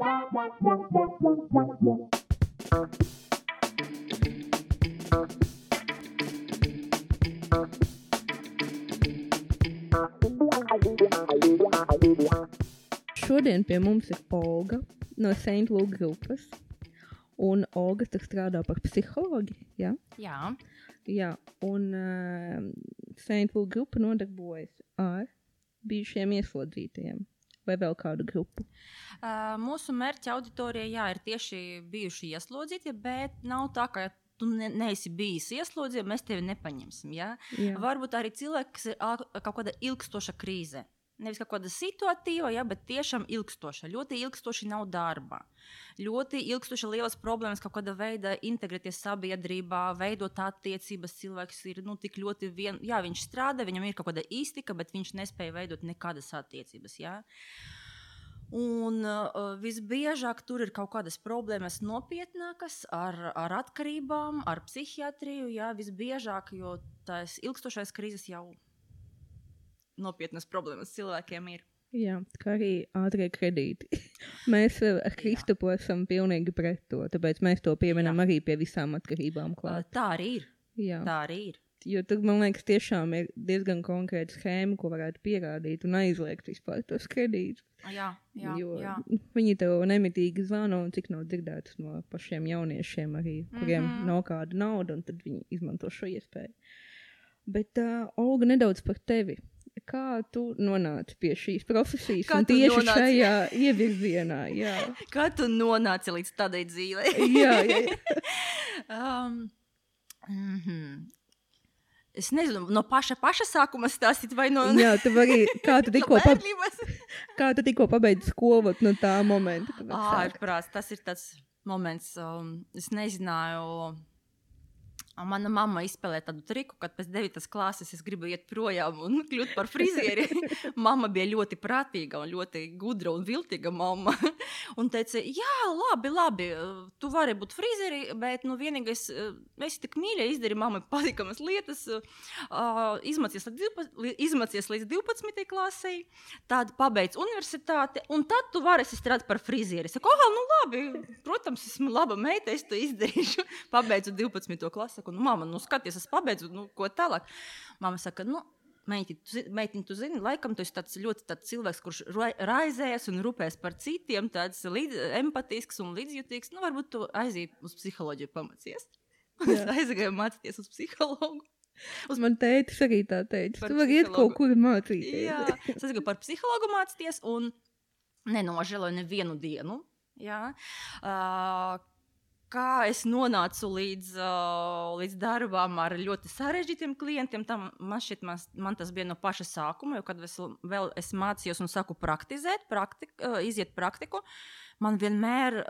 Šodien pie mums ir Olga no St. Luke grupas, un Olga tur strādā par psihologi, ja? Jā. Jā, un St. Luke grupa nodarbojas ar bijušiem ieslodzītajiem vai vēl kādu grupu? Mūsu mērķa auditorija, ir tieši bijuši ieslodzītie, bet nav tā, ka tu neesi bijis ieslodzīts, mēs tevi nepaņemsim. Ja? Jā. Varbūt arī cilvēki, kas ir kaut kāda ilgstoša krīze. Nevis kaut kāda situatīva, ja, bet tiešām ilgstoša. Ļoti ilgstoši nav darba. Ļoti ilgstoša lielas problēmas kaut kāda veida integrēties sabiedrībā, veidot attiecības. Cilvēks ir tik ļoti viņš strādā, viņam ir kaut kāda iztika, bet viņš nespēja veidot nekādas attiecības. Ja. Un visbiežāk tur ir kaut kādas problēmas nopietnākas ar atkarībām, ar psihiatriju. Ja, visbiežāk, jo tās ilgstošais krīzes jau nopietnas problēmas cilvēkiem ir. Jā, kā arī ātrie kredīti. Mēs ar Kristupu esam pilnīgi pret to, tāpēc mēs to pieminam arī pie visām atkarībām klāt. Tā arī ir. Jā. Tā arī ir. Jo tur, man liekas, tiešām ir diezgan konkrēta schēma, ko varētu pierādīt un aizliegt vispār tos kredītus. Jā. Viņi tev nemitīgi zvana, un cik nav dzirdētas no pašiem jauniešiem arī, kuriem nav kāda nauda, un tad viņi izmanto šo iespēju. Bet, Olga, nedaudz par tevi. Kā tu nonāci pie šīs profesijas un tieši šajā ievirzienā? Jā. Kā tu nonāci līdz tādai dzīvei? Jā. Es nezinu, no paša sākuma stāstīt vai no... Jā, tu vari, kā tu tikko pabeidzi skolu no tā momenta? Ārprāts, tas ir tāds moments, es nezināju... Mana mamma izspēlēja tādu triku, kad pēc 9. klases es gribu iet projām un kļūt par frizieri. Mamma bija ļoti prātīga un ļoti gudra un viltīga mamma. Un teica, jā, labi, tu vari būt frizieri, bet vienīgais, esi tik mīļa, izdari mammai patikamas lietas, izmācies līdz 12. klasei, tad pabeidz universitāti, un tad tu varēsi strādāt par frizieri. Es saku, labi, protams, esmu laba meita, es to izdarīšu. Pabeidzu 12. klasi. Mamma, skaties, es pabeidzu, ko tālāk. Mamma saka, meitiņ, tu zini, laikam tu esi tāds cilvēks, kurš raizējas un rūpēs par citiem, tāds empatisks un līdzjūtīgs. Varbūt tu aizēji uz psiholoģiju pamācies. Es aizgāju mācīties uz psihologu. Man tētis arī tā teica, tu vari iet kaut kur mācīties. Jā, es aizgāju par psihologu mācīties un nenožēloju nevienu dienu. Jā. Kā es nonācu līdz darbām ar ļoti sarežģītiem klientiem, man tas bija no paša sākuma, jo kad es mācījos un sāku praktizēt, iziet praktiku, man vienmēr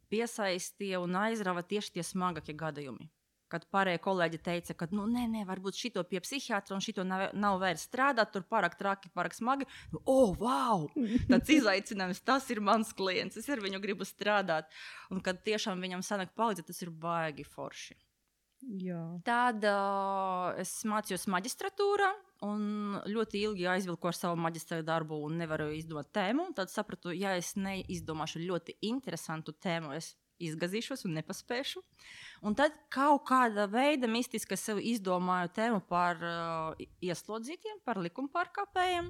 piesaistīja un aizrava tieši tie smagākie gadījumi. Kad pārējie kolēģi teica, ka nē, varbūt šito pie psihiatra un šito nav vairs strādāt, tur pārāk traki, pārāk smagi. Wow! Tāds izaicinājums, tas ir mans klients, es ar viņu gribu strādāt. Un kad tiešām viņam sanāk palīdzēt, tas ir baigi forši. Jā. Tad es mācījos maģistratūrā un ļoti ilgi aizvilku ar savu maģistra darbu un nevaru izdomāt tēmu. Tad sapratu, ja es neizdomāšu ļoti interesantu tēmu, es izgazīšos un nepaspēšu. Un tad kaut kāda veida mistiski es sev izdomāju tēmu par ieslodzītiem, par likumpārkāpējiem,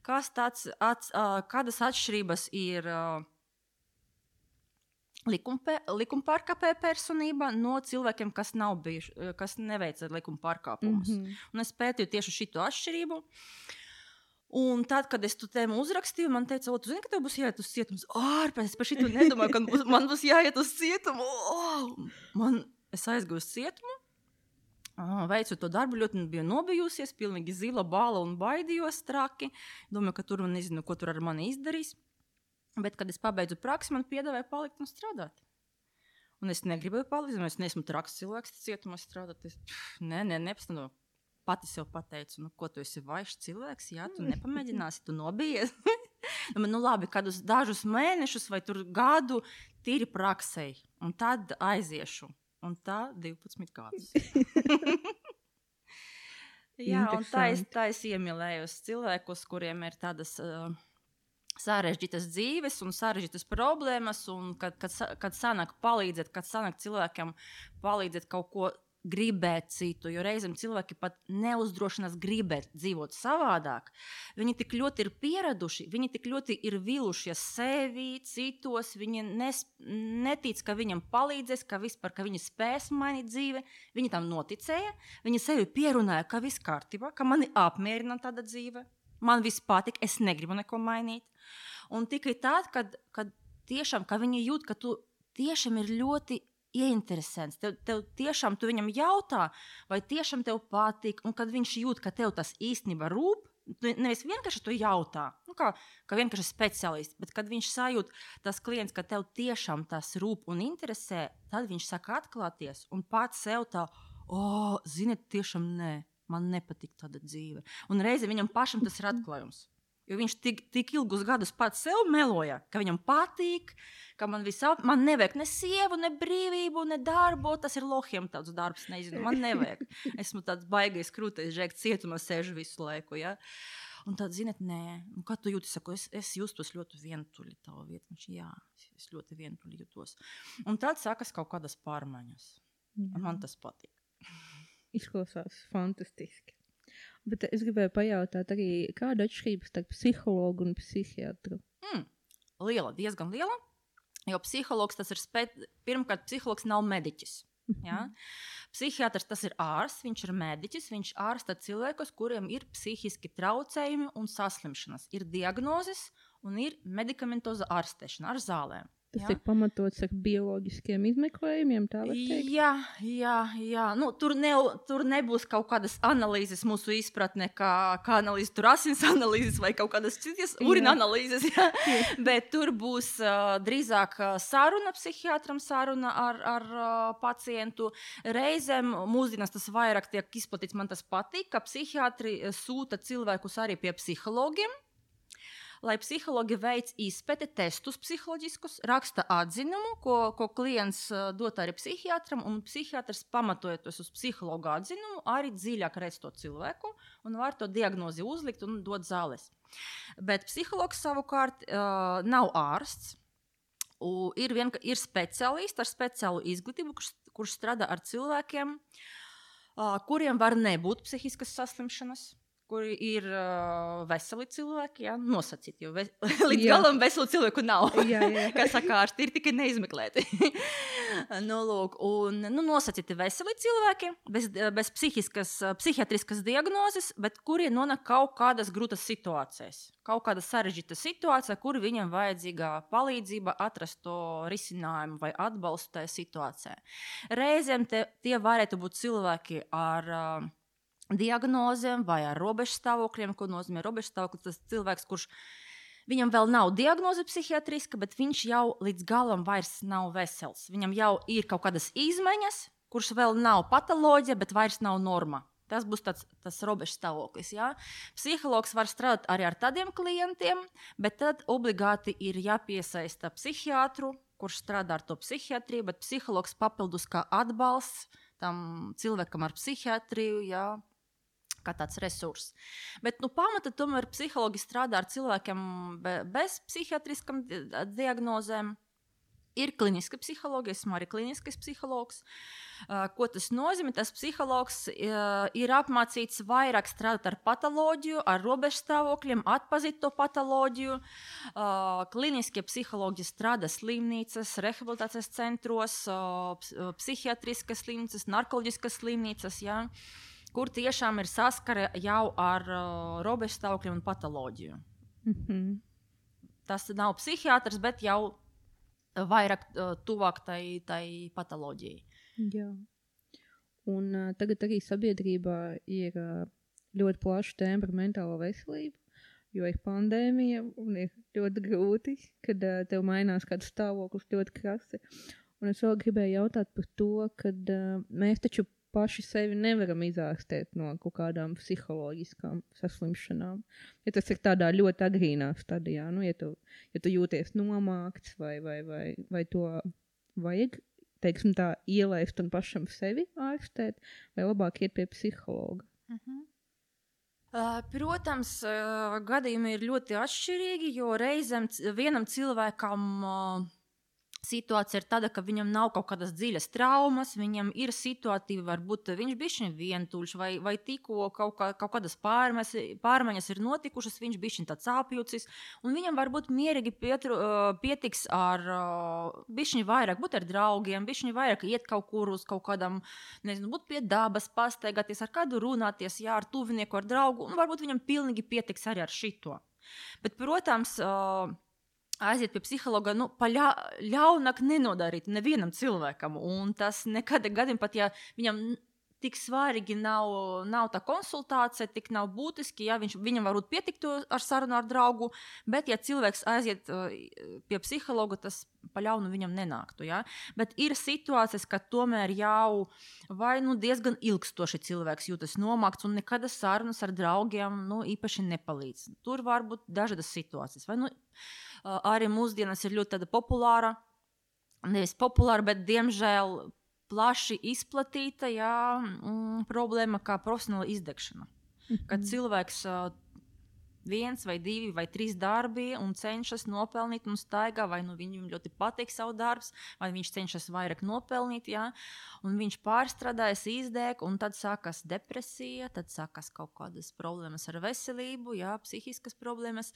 kādas atšķirības ir likumpārkāpēja personība no cilvēkiem, kas neveica likumpārkāpumus. Un es pētīju tieši šito atšķirību. Un tad, kad es tu tēmu uzrakstīju, man teica, tu zini, ka tev būs jāiet uz cietumu? Es par šito nedomāju, ka man būs jāiet uz cietumu. Es aizgāju uz cietumu, veicu to darbu, ļoti biju nobijusies, pilnīgi zila bāla un baidījos traki. Domāju, ka tur nezinu, ko tur ar mani izdarīs. Bet, kad es pabeidzu praksi, man piedāvāja palikt un strādāt. Un es negribēju palikt, es neesmu traks cilvēks cietumā strādāt. Nepastāvu. Pati sev pateicu, ko tu esi vaišs cilvēks, jā, tu nepamēģināsi, tu nobijies. Labi, kādus dažus mēnešus vai tur gadu tīri praksei, un tad aiziešu. Un tā 12 gadus. Jā, un tā es iemīlējos cilvēkus, kuriem ir tādas sarežģītas dzīves un sarežģītas problēmas, un kad sanāk palīdzēt, kad sanāk cilvēkam palīdzēt kaut ko gribēt citu, jo reizēm cilvēki pat neuzdrošinās gribēt dzīvot savādāk. Viņi tik ļoti ir pieraduši, viņi tik ļoti ir vīlušies sevi, citos, viņi netic, ka viņam palīdzēs, ka viņi spēs mainīt dzīvi. Viņi tam noticēja, viņi sevi pierunāja, ka viss kārtībā, ka mani apmierina tāda dzīve. Man viss patīk, es negribu neko mainīt. Un tikai tad, kad tiešām, ka viņi jūt, ka tu tiešām ir ļoti ieinteresants, tev tiešām tu viņam jautā, vai tiešām tev patīk, un kad viņš jūt, ka tev tas īstenībā rūp, tu nevis vienkārši to jautā, kā vienkārši speciālists, bet kad viņš sajūt, tas klients, ka tev tiešām tas rūp un interesē, tad viņš saka atklāties un pats sev tā, ziniet, tiešām nē. Man nepatīk tāda dzīve. Un reizi viņam pašam tas ir atklājums. Jo viņš tik ilgus gadus pats sev meloja, ka viņam patīk, ka man nevajag ne sievu, ne brīvību, ne darbu. Tas ir lohiem tāds darbs, nezinu, man nevajag. Esmu tāds baigais krūtais, žēk cietumā sēžu visu laiku, ja. Un tad, ziniet, nē, un kā tu jūti, saku, es justos ļoti vientuļi tavu vietu. Viņš, jā, es ļoti vientuļi jutos. Un tad sākas kaut kādas pārmaiņas. Un man tas patīk. Izklausās fantastiski. Bet es gribēju pajautāt arī, kāda atšķirība starp psihologu un psihiatru? Liela, diezgan liela, jo psihologs tas ir pirmkārt, psihologs nav mediķis. Ja? Psihiatrs tas ir ārsts, viņš ir mediķis, viņš ārsta cilvēkus, kuriem ir psihiski traucējumi un saslimšanas. Ir diagnozes un ir medikamentoza ārstēšana ar zālēm. Tas ir pamatots ar bioloģiskiem izmeklējumiem, tā var teikt? Jā. Nu, tur nebūs kaut kādas analīzes mūsu izpratne, kā analīzes, tur asins analīzes vai kaut kādas citas urina analīzes, jā. Bet tur būs drīzāk saruna psihiatram, saruna ar pacientu. Reizēm mūsdienās tas vairāk tiek izplatīts, man tas patīk, ka psihiatri sūta cilvēkus arī pie psihologiem, lai psihologi veic izpēti testus psiholoģiskus, raksta atzinumu, ko klients dod arī psihiatram, un psihiatrs pamatojoties uz psihologa atzinumu, arī dziļāk redz to cilvēku un var to diagnozi uzlikt un dot zāles. Bet psihologs savukārt nav ārsts, ir speciālists ar speciālu izglītību, kurš strādā ar cilvēkiem, kuriem var nebūt psihiskas saslimšanas, kuri ir veseli cilvēki, ja? Nosacīti, jo līdz galam veselu cilvēku nav. Kā saka ārsti, ir tikai neizmeklēti. Nosacīti veseli cilvēki, bez psihiatriskas diagnozes, bet kuri nonāk kaut kādas grūtas situācijas. Kaut kāda sarežģīta situācija, kur viņam vajadzīga palīdzība atrast to risinājumu vai atbalstu tajā situācijā. Reizēm tie varētu būt cilvēki ar diagnozēm vai ar robežstāvokļiem, ko nozīmē robežstāvoklis. Tas cilvēks, kurš viņam vēl nav diagnoze psihiatriska, bet viņš jau līdz galam vairs nav vesels. Viņam jau ir kaut kādas izmaiņas, kurš vēl nav patoloģija, bet vairs nav norma. Tas būs tas robežstāvoklis. Ja? Psihologs var strādāt arī ar tādiem klientiem, bet tad obligāti ir jāpiesaista psihiatru, kurš strādā ar to psihiatriju, bet psihologs papildus kā atbalsts tam cilvēkam ar psihiatriju, ja? Kā tāds resurss. Bet pamata tomēr psihologi strādā ar cilvēkiem bez psihiatriskām diagnozēm. Ir kliniska psihologa, esmu arī kliniskais psihologs. Ko tas nozīmē? Tas psihologs ir apmācīts vairāk strādāt ar patoloģiju, ar robežstāvokļiem, atpazīt to patoloģiju. Kliniskie psihologi strādā slimnīcas, rehabilitācijas centros, psihiatriskas slimnīcas, narkoloģiskas slimnīcas, ja? Kur tiešām ir saskare jau ar robežstāvokļiem un patoloģiju. Tas nav psihiatrs, bet jau vairāk tuvāk tai patoloģijai. Jā. Un tagad arī sabiedrībā ir ļoti plaša tēma par mentālo veselību, jo ir pandēmija un ir ļoti grūti, kad tev mainās kāds stāvoklis ļoti krasi. Un es vēl gribēju jautāt par to, kad mēs taču paši sevi nevaram izārstēt no kaut kādām psiholoģiskām saslimšanām. Ja tas ir tādā ļoti agrīnā stadijā, ja tu jūties nomākts vai to vajag, teiksim tā, ielaist un pašam sevi ārstēt, vai labāk iet pie psihologa? Protams, gadījumi ir ļoti atšķirīgi, jo reizēm vienam cilvēkam situācija ir tāda, ka viņam nav kaut kādas dziļas traumas, viņam ir situatīvi, varbūt viņš bišķiņ vientuļš, vai tikko kaut kādas pārmaiņas ir notikušas, viņš bišķiņ tāds apjucis, un viņam varbūt mierīgi pietiks ar bišķiņ vairāk būt ar draugiem, bišķiņ vairāk iet kaut kur uz kaut kādam, nezinu, būt pie dabas, pastaigāties, ar kādu runāties, jā, ar tuvinieku, ar draugu, un varbūt viņam pilnīgi pietiks arī ar šito. Bet, protams, aiziet pie psihologa, ļaunāk nenodarīt nevienam cilvēkam. Un tas nekādā gadījumā, pat ja viņam tik svarīgi nav tā konsultācija, tik nav būtiski, ja viņam varbūt pietikt ar sarunu ar draugu, bet ja cilvēks aiziet pie psihologa, tas pa ļaunu viņam nenāktu. Ja? Bet ir situācijas, ka tomēr jau vai diezgan ilgstoši cilvēks jūtas nomākts un nekāda sarunas ar draugiem īpaši nepalīdz. Tur var būt dažādas situācijas. Vai arī mūsdienas ir ļoti tāda populāra, nevis populāra, bet diemžēl plaši izplatīta problēma kā profesionāla izdegšana. Kad cilvēks 1 vai 2 vai 3 darbi un cenšas nopelnīt un staigā, vai viņam ļoti patīk savu darbs, vai viņš cenšas vairāk nopelnīt, un viņš pārstrādājas, izdeg, un tad sākas depresija, tad sākas kaut kādas problēmas ar veselību, psihiskas problēmas.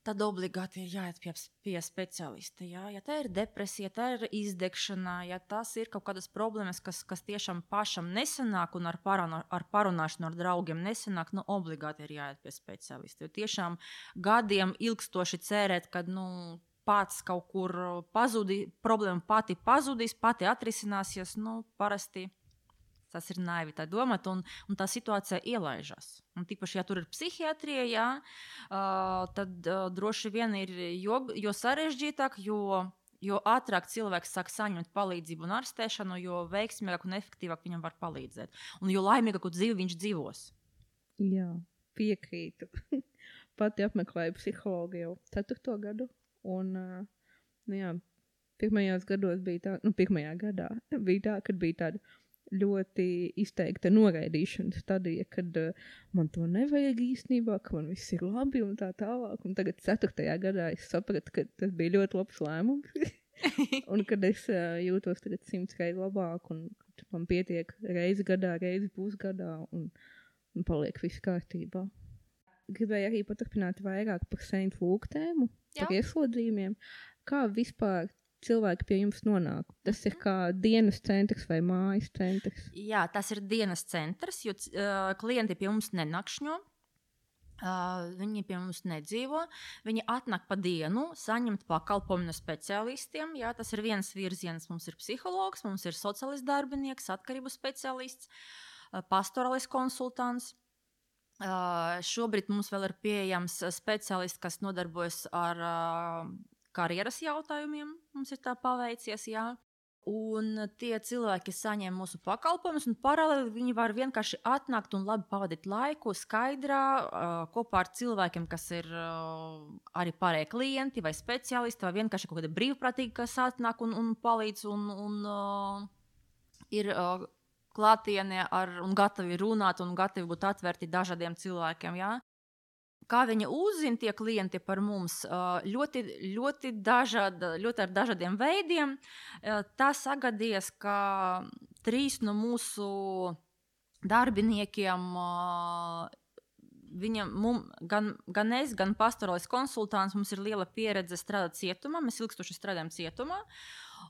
Tad obligāti ir jāiet pie speciālista. Ja tā ir depresija, tā ir izdegšana, ja tas ir kaut kādas problēmas, kas tiešām pašam nesanāk un ar parunāšanu ar draugiem nesanāk, obligāti ir jāiet pie speciālista. Jo tiešām gadiem ilgstoši cerēt, kad pats kaut kur problēma pati pazudīs, pati atrisināsies, parasti tas ir naivi tā domāt, un tā situācija ielaižas. Un tīpaši, ja tur ir psihiatrija, tad droši vien ir jo sarežģītāk, jo ātrāk cilvēks sāk saņemt palīdzību un ārstēšanu, jo veiksmīgāk un efektīvāk viņam var palīdzēt. Un jo laimīgāku dzīvi viņš dzīvos. Jā, piekrītu. Pati apmeklēju psihologu jau 4. gadu. Un, pirmajos gados bija tā, pirmajā gadā bija tā, kad bija tāda ļoti izteikta noraidīšana stadija, kad man to nevajag īstenībā, ka man viss ir labi un tā tālāk. Un tagad 4. gadā es sapratu, ka tas bija ļoti labs lēmums. Un kad es jūtos tagad 100 reizi labāk un man pietiek reizi gadā, reizi pusgadā un paliek viss kārtībā. Gribēju arī paturpināt vairāk par Saint Luke tēmu, par ieslodzījumiem. Kā vispār cilvēki pie jums nonāk? Tas ir kā dienas centrs vai mājas centrs? Jā, tas ir dienas centrs, jo klienti pie mums nenakšņo. Viņi pie mums nedzīvo. Viņi atnāk pa dienu, saņemt pakalpojumu no speciālistiem. Jā, tas ir viens virziens. Mums ir psihologs, mums ir sociālists darbinieks, atkarību speciālists, pastorālis konsultants. Šobrīd mums vēl ir pieejams speciālists, kas nodarbojas ar karjeras jautājumiem, mums ir tā paveicies, un tie cilvēki saņem mūsu pakalpojumus, un paralēli viņi var vienkārši atnākt un labi pavadīt laiku skaidrā, kopā ar cilvēkiem, kas ir arī pārējie klienti vai speciālisti, vai vienkārši kaut kādi brīvprātīgi, kas atnāk un palīdz, un ir klātienē un gatavi runāt, un gatavi būt atvērti dažādiem cilvēkiem, Kā viņi uzzina tie klienti par mums, ļoti ar dažādiem veidiem. Tā sagadījies, ka 3 no mūsu darbiniekiem, gan es, gan pastorālis konsultants, mums ir liela pieredze strādāt cietumā, mēs ilgstoši strādājam cietumā.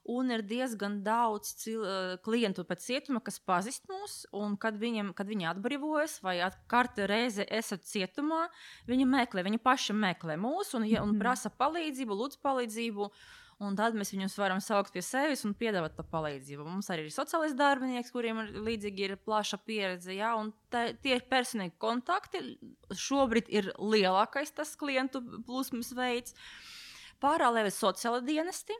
Un ir diezgan daudz klientu pēc cietuma, kas pazīst mūs, un kad viņi atbrīvojas vai katru reizi esat cietumā, viņi paši meklē mūs un prasa palīdzību, lūdz palīdzību, un tad mēs viņus varam saukt pie sevis un piedāvāt to palīdzību. Mums arī ir sociālais darbinieks, kuriem līdzīgi ir plaša pieredze, un tie ir personīgi kontakti. Šobrīd ir lielākais tas klientu plūsmas veids. Paralēli sociāla dienesti,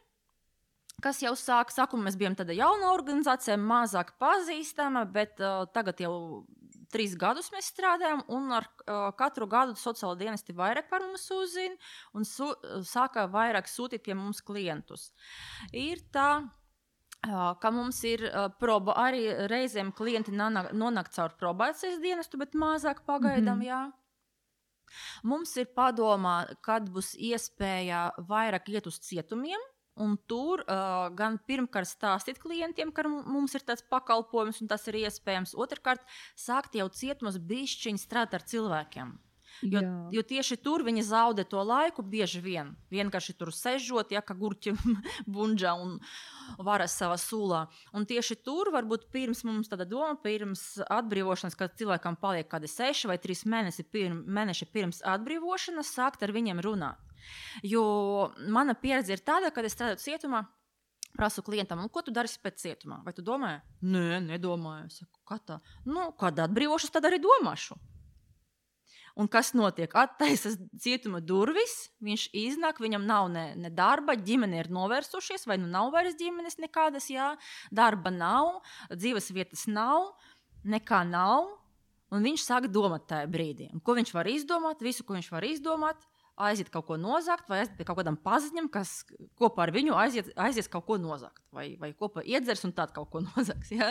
kas jau sākumā mēs bijām tāda jauna organizācija, mazāk pazīstama, bet tagad jau 3 gadus mēs strādājam, un ar katru gadu sociāla dienesti vairāk par mums uzzina un sāka vairāk sūtīt pie mums klientus. Ir tā, ka mums ir arī reizēm klienti nonāk caur probācijas dienestu, bet mazāk pagaidām, jā. Mums ir padomā, kad būs iespēja vairāk iet uz cietumiem, un tur gan pirmkārt stāstīt klientiem, ka mums ir tāds pakalpojums, un tas ir iespējams. Otrkārt, sākt jau cietumos bišķiņi strādāt ar cilvēkiem. Jo tieši tur viņi zaudē to laiku bieži vien. Vienkārši tur sežot, ja, kā gurķi bunģa un varas savā sūlā. Un tieši tur varbūt pirms mums tāda doma, pirms atbrīvošanas, kad cilvēkam paliek kādi 6 vai 3 mēneši pirms atbrīvošanas, sākt ar viņiem runāt. Jo mana pieredze ir tāda, kad es strādāju cietumā, prasu klientam, ko tu darīsi pēc cietumā? Vai tu domāji? Nē, nedomāju. Es saku, kā tā? Kad atbrīvošas, tad arī domāšu. Un kas notiek? Attaisas cietuma durvis, viņš iznāk, viņam nav ne darba, ģimene ir novērsušies, vai nav vairs ģimenes nekādas, jā, darba nav, dzīves vietas nav, nekā nav, un viņš sāk domāt tajā brīdī. Un ko viņš var izdomāt? Visu, ko viņš var izdomāt, aiziet kaut ko nozagt, vai aiziet pie kaut kādam paziņam, kas kopā ar viņu aizies kaut ko nozagt, vai kopā iedzers un tād kaut ko nozaks. Ja?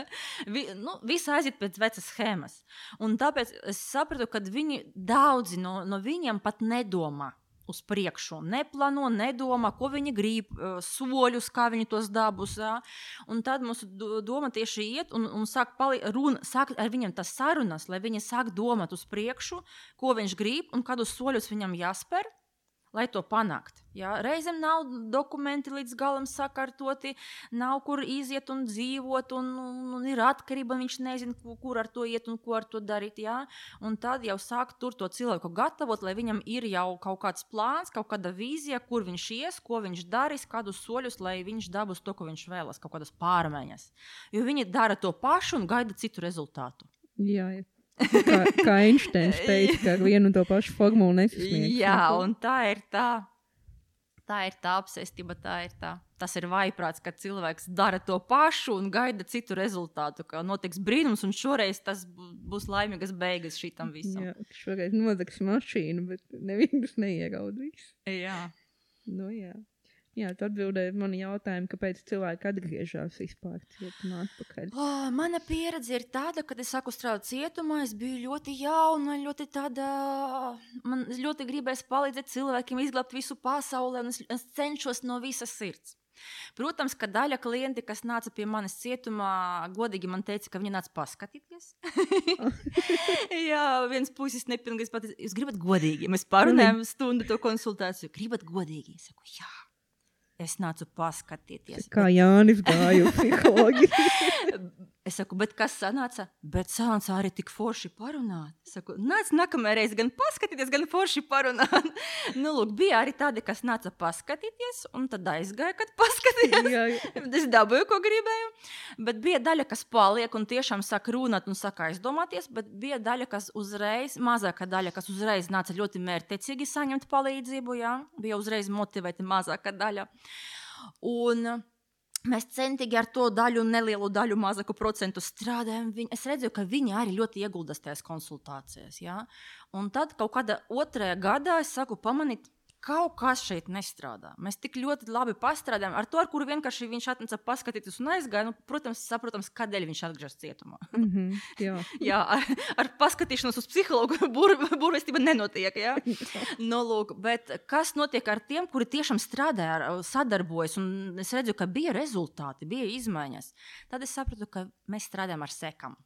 Visi aiziet pēc vecas schēmas. Un tāpēc es sapratu, ka daudzi no viņiem pat nedomā uz priekšu, neplāno, nedomā, ko viņi grib, soļus, kā viņi tos dabūs. Ja? Un tad mūsu doma tieši iet un sāk ar viņiem tas sarunas, lai viņi sāk domāt uz priekšu, ko viņš grib un kādus soļus viņam jāspēr, lai to panākt. Ja? Reizēm nav dokumenti līdz galam sakārtoti, nav kur iziet un dzīvot, un ir atkarība, viņš nezina, kur ar to iet un ko ar to darīt. Ja? Un tad jau sāk tur to cilvēku gatavot, lai viņam ir jau kaut kāds plāns, kaut kāda vīzija, kur viņš ies, ko viņš darīs, kādus soļus, lai viņš dabūs to, ko viņš vēlas, kaut kādas pārmaiņas. Jo viņi dara to pašu un gaida citu rezultātu. Jā. Kā Einsteins teica, ka vienu un to pašu formulu nesasniegs. Jā, un tā ir tā apsēstība, tas ir vaiprāts, kad cilvēks dara to pašu un gaida citu rezultātu, ka notiks brīnums, un šoreiz tas būs laimīgas beigas šitam visam. Jā, šoreiz nodegs mašīnu, bet nevienus neieraudīs. Jā. Jā. Jā, tu atbildēji mani jautājumu, kāpēc cilvēki atgriežas vispār cietumā atpakaļ. Mana pieredze ir tāda, kad es sāku strādāt cietumā, es biju ļoti jauna, man ļoti gribēs palīdzēt cilvēkiem izglābt visu pasauli, un es cenšos no visas sirds. Protams, ka daļa klienti, kas nāca pie manis cietumā, godīgi man teica, ka viņi nāca paskatīties. Jā, viens puisis nepilnīgs pateica, jūs gribat godīgi? Mēs parunājam stundu to konsultāciju. Gribat godīgi? Es saku, jā. Es nācu paskatīties. Kā Jānis gāju psihologi. Es saku, bet kas sanāca? Bet sanāca arī tik forši parunāt. Es saku, nāc nākamajā reize gan paskatīties, gan forši parunāt. Lūk, bija arī tādi, kas nāca paskatīties, un tad aizgāja, kad paskatījās. Es dabūju, ko gribēju. Bet bija daļa, kas paliek un tiešām sāk runāt un sāk aizdomāties, bet bija daļa, kas uzreiz, mazāka daļa, kas uzreiz nāca ļoti mērķtiecīgi saņemt palīdzību, jā. Bija uzreiz motivēti mazāka daļa. Un mēs centīgi ar to daļu, nelielu daļu, mazāku procentu strādājam. Es redzēju, ka viņi arī ļoti ieguldās tajās konsultācijās. Ja? Un tad kaut kādā 2. gadā es saku pamanīt, kaut kas šeit nestrādā. Mēs tik ļoti labi pastrādājam ar to, ar kuru vienkārši viņš atnāca paskatīties un aizgāja. Protams, saprotams, kādēļ viņš atgriežas cietumā. Jā, ar paskatīšanos uz psihologu burvestība nenotiek. Ja? Lūk, bet kas notiek ar tiem, kuri tiešām strādāja, sadarbojas, un es redzu, ka bija rezultāti, bija izmaiņas. Tad es sapratu, ka mēs strādājam ar sekām.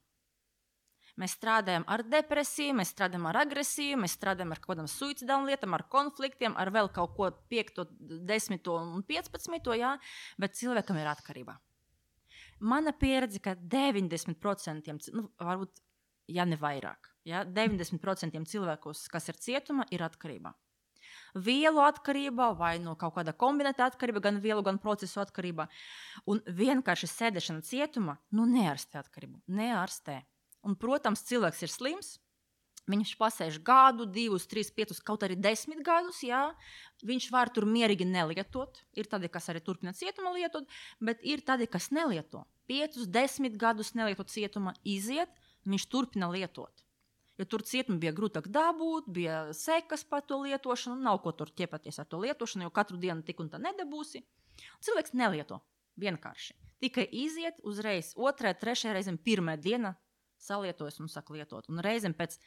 Mēs strādājam ar depresiju, mēs strādājam ar agresiju, mēs strādājam ar kaut kādām suicidālām lietām, ar konfliktiem, ar vēl kaut ko 5, 10 un 15, jā, bet cilvēkam ir atkarība. Mana pieredze, ka 90%, varbūt, ja ne vairāk, ja, 90% cilvēkus, kas ir cietuma, ir atkarība. Vielu atkarība vai no kaut kāda kombinēta atkarība, gan vielu, gan procesu atkarība. Un vienkārši sēdešana cietuma, neārstē atkarību, neārstē. Un, protams, cilvēks ir slims, viņš pasēž gadu, 2, 3, 5, kaut arī 10 gadus, jā, viņš var tur mierīgi nelietot, ir tādi, kas arī turpina cietuma lietot, bet ir tādi, kas nelieto. 5, 10 gadus nelietot cietuma, iziet, viņš turpina lietot. Jo tur cietuma bija grūtāk dabūt, bija sekas par to lietošanu, nav ko tur ķepaties ar to lietošanu, jo katru dienu tik un tā nedabūsi. Cilvēks nelieto. Vienkārši. Tikai iziet uzreiz 2., 3. reizēm 1. diena salietojas un sāk lietot. Un reizēm pēc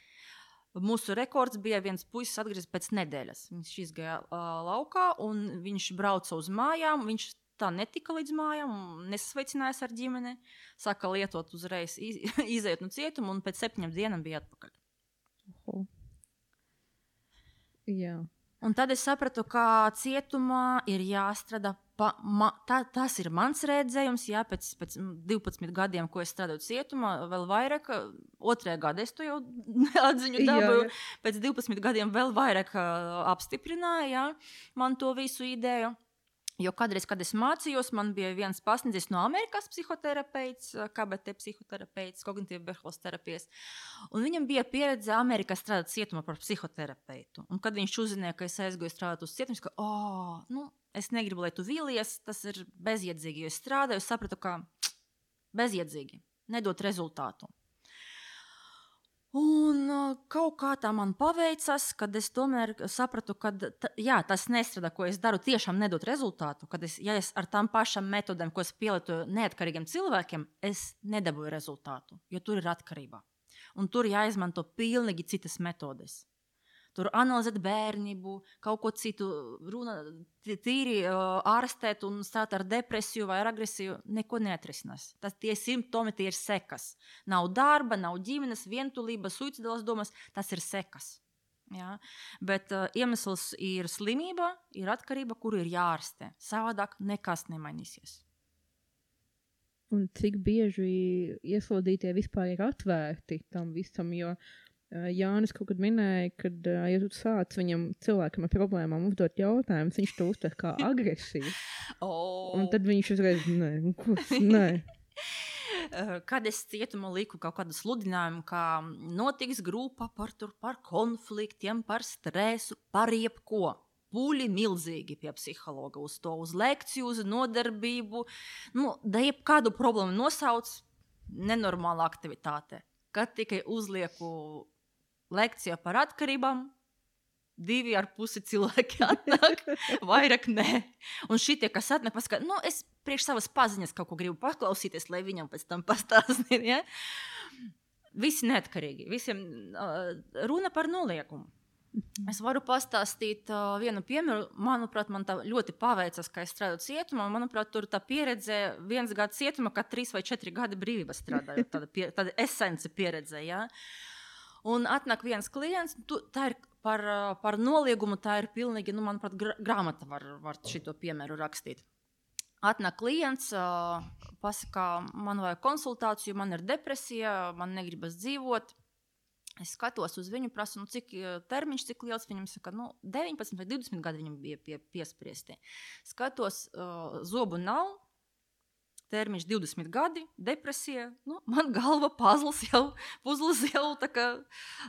mūsu rekords bija viens puisis atgriezis pēc nedēļas. Viņš izgāja laukā un viņš brauca uz mājām. Viņš tā netika līdz mājām, nesasveicinājās ar ģimeni, sāka lietot uzreiz, izējot no cietuma un pēc 7 dienām bija atpakaļ. Jā. Un tad es sapratu, ka cietumā ir jāstrādā. Tas ir mans redzējums, jā, pēc 12 gadiem, ko es strādāju cietumā, vēl vairāk, 2. gadā es to jau atziņu dabūju, pēc 12 gadiem vēl vairāk apstiprināja, jā, man to visu ideju. Jo kādreiz, kad es mācījos, man bija viens pasniedzējs no Amerikas psihoterapeits, KBT psihoterapeits, kognitīva behavioras terapijas. Un viņam bija pieredze Amerikā strādāt cietumā par psihoterapeitu. Un kad viņš uzzināja, ka es aizgāju strādāt uz cietumu, es ka, es negribu, lai tu vīlies, tas ir bezjēdzīgi, jo es strādāju, es sapratu, ka bezjēdzīgi, nedot rezultātu. Un kaut kā tā man paveicas, kad es tomēr sapratu, ka tas nestrādā, ko es daru, tiešām nedot rezultātu. Ja es ar tām pašām metodēm, ko es pielietoju neatkarīgiem cilvēkiem, es nedabūju rezultātu, jo tur ir atkarība. Un tur jāizmanto pilnīgi citas metodes. Tur analizēt bērnību, kaut ko citu, runa tīri ārstēt un stāt ar depresiju vai ar agresiju, neko neatrisinās. Tie simptomi, tie ir sekas. Nav darba, nav ģimenes, vientulība, suicidālas domas, tas ir sekas. Ja? Bet iemesls ir slimība, ir atkarība, kuru ir jārastē. Savādāk nekas nemainīsies. Un cik bieži ieslodzītie vispār ir atvērti tam visam, jo Jānis kaut kad minēja, kad, ja tu sāc viņam cilvēkam ar problēmām uzdot jautājumus, viņš to uztver kā agresiju. Un tad viņš uzreiz, nē. Kad es cietumā liku kaut kādu sludinājumu, kā notiks grupa par konfliktiem, par stresu, par jebko. Pūļi milzīgi pie psihologa uz lekciju, uz nodarbību. Da jebkādu problēmu nosauc nenormāla aktivitāte. Kad tikai uzlieku lekcija par atkarībām, 2,5 cilvēki atnāk, vairāk nē. Un šitie, kas atnāk, pasaka, es priekš savas paziņas kaut ko gribu paklausīties, lai viņam pēc tam pastāstīt. Ja? Visi neatkarīgi, visiem runa par noliegumu. Es varu pastāstīt vienu piemēru. Manuprāt, man tā ļoti paveicas, ka es strādāju cietumā. Manuprāt, tur tā pieredze 1 gada cietumā, kā 3 vai 4 gadi brīvības strādāju. Tāda esence pieredze, jā. Un atnāk viens klients, tā ir par noliegumu, tā ir pilnīgi, manuprāt, grāmata var šito piemēru rakstīt. Atnāk klients, pasaka, man vajag konsultāciju, man ir depresija, man negribas dzīvot. Es skatos uz viņu, prasu, cik termiņš, cik liels viņam saka, 19 vai 20 gadi viņam bija piespriesti. Skatos, zobu nav, termiņš 20 gadi, depresija, man galva puzles jau tā kā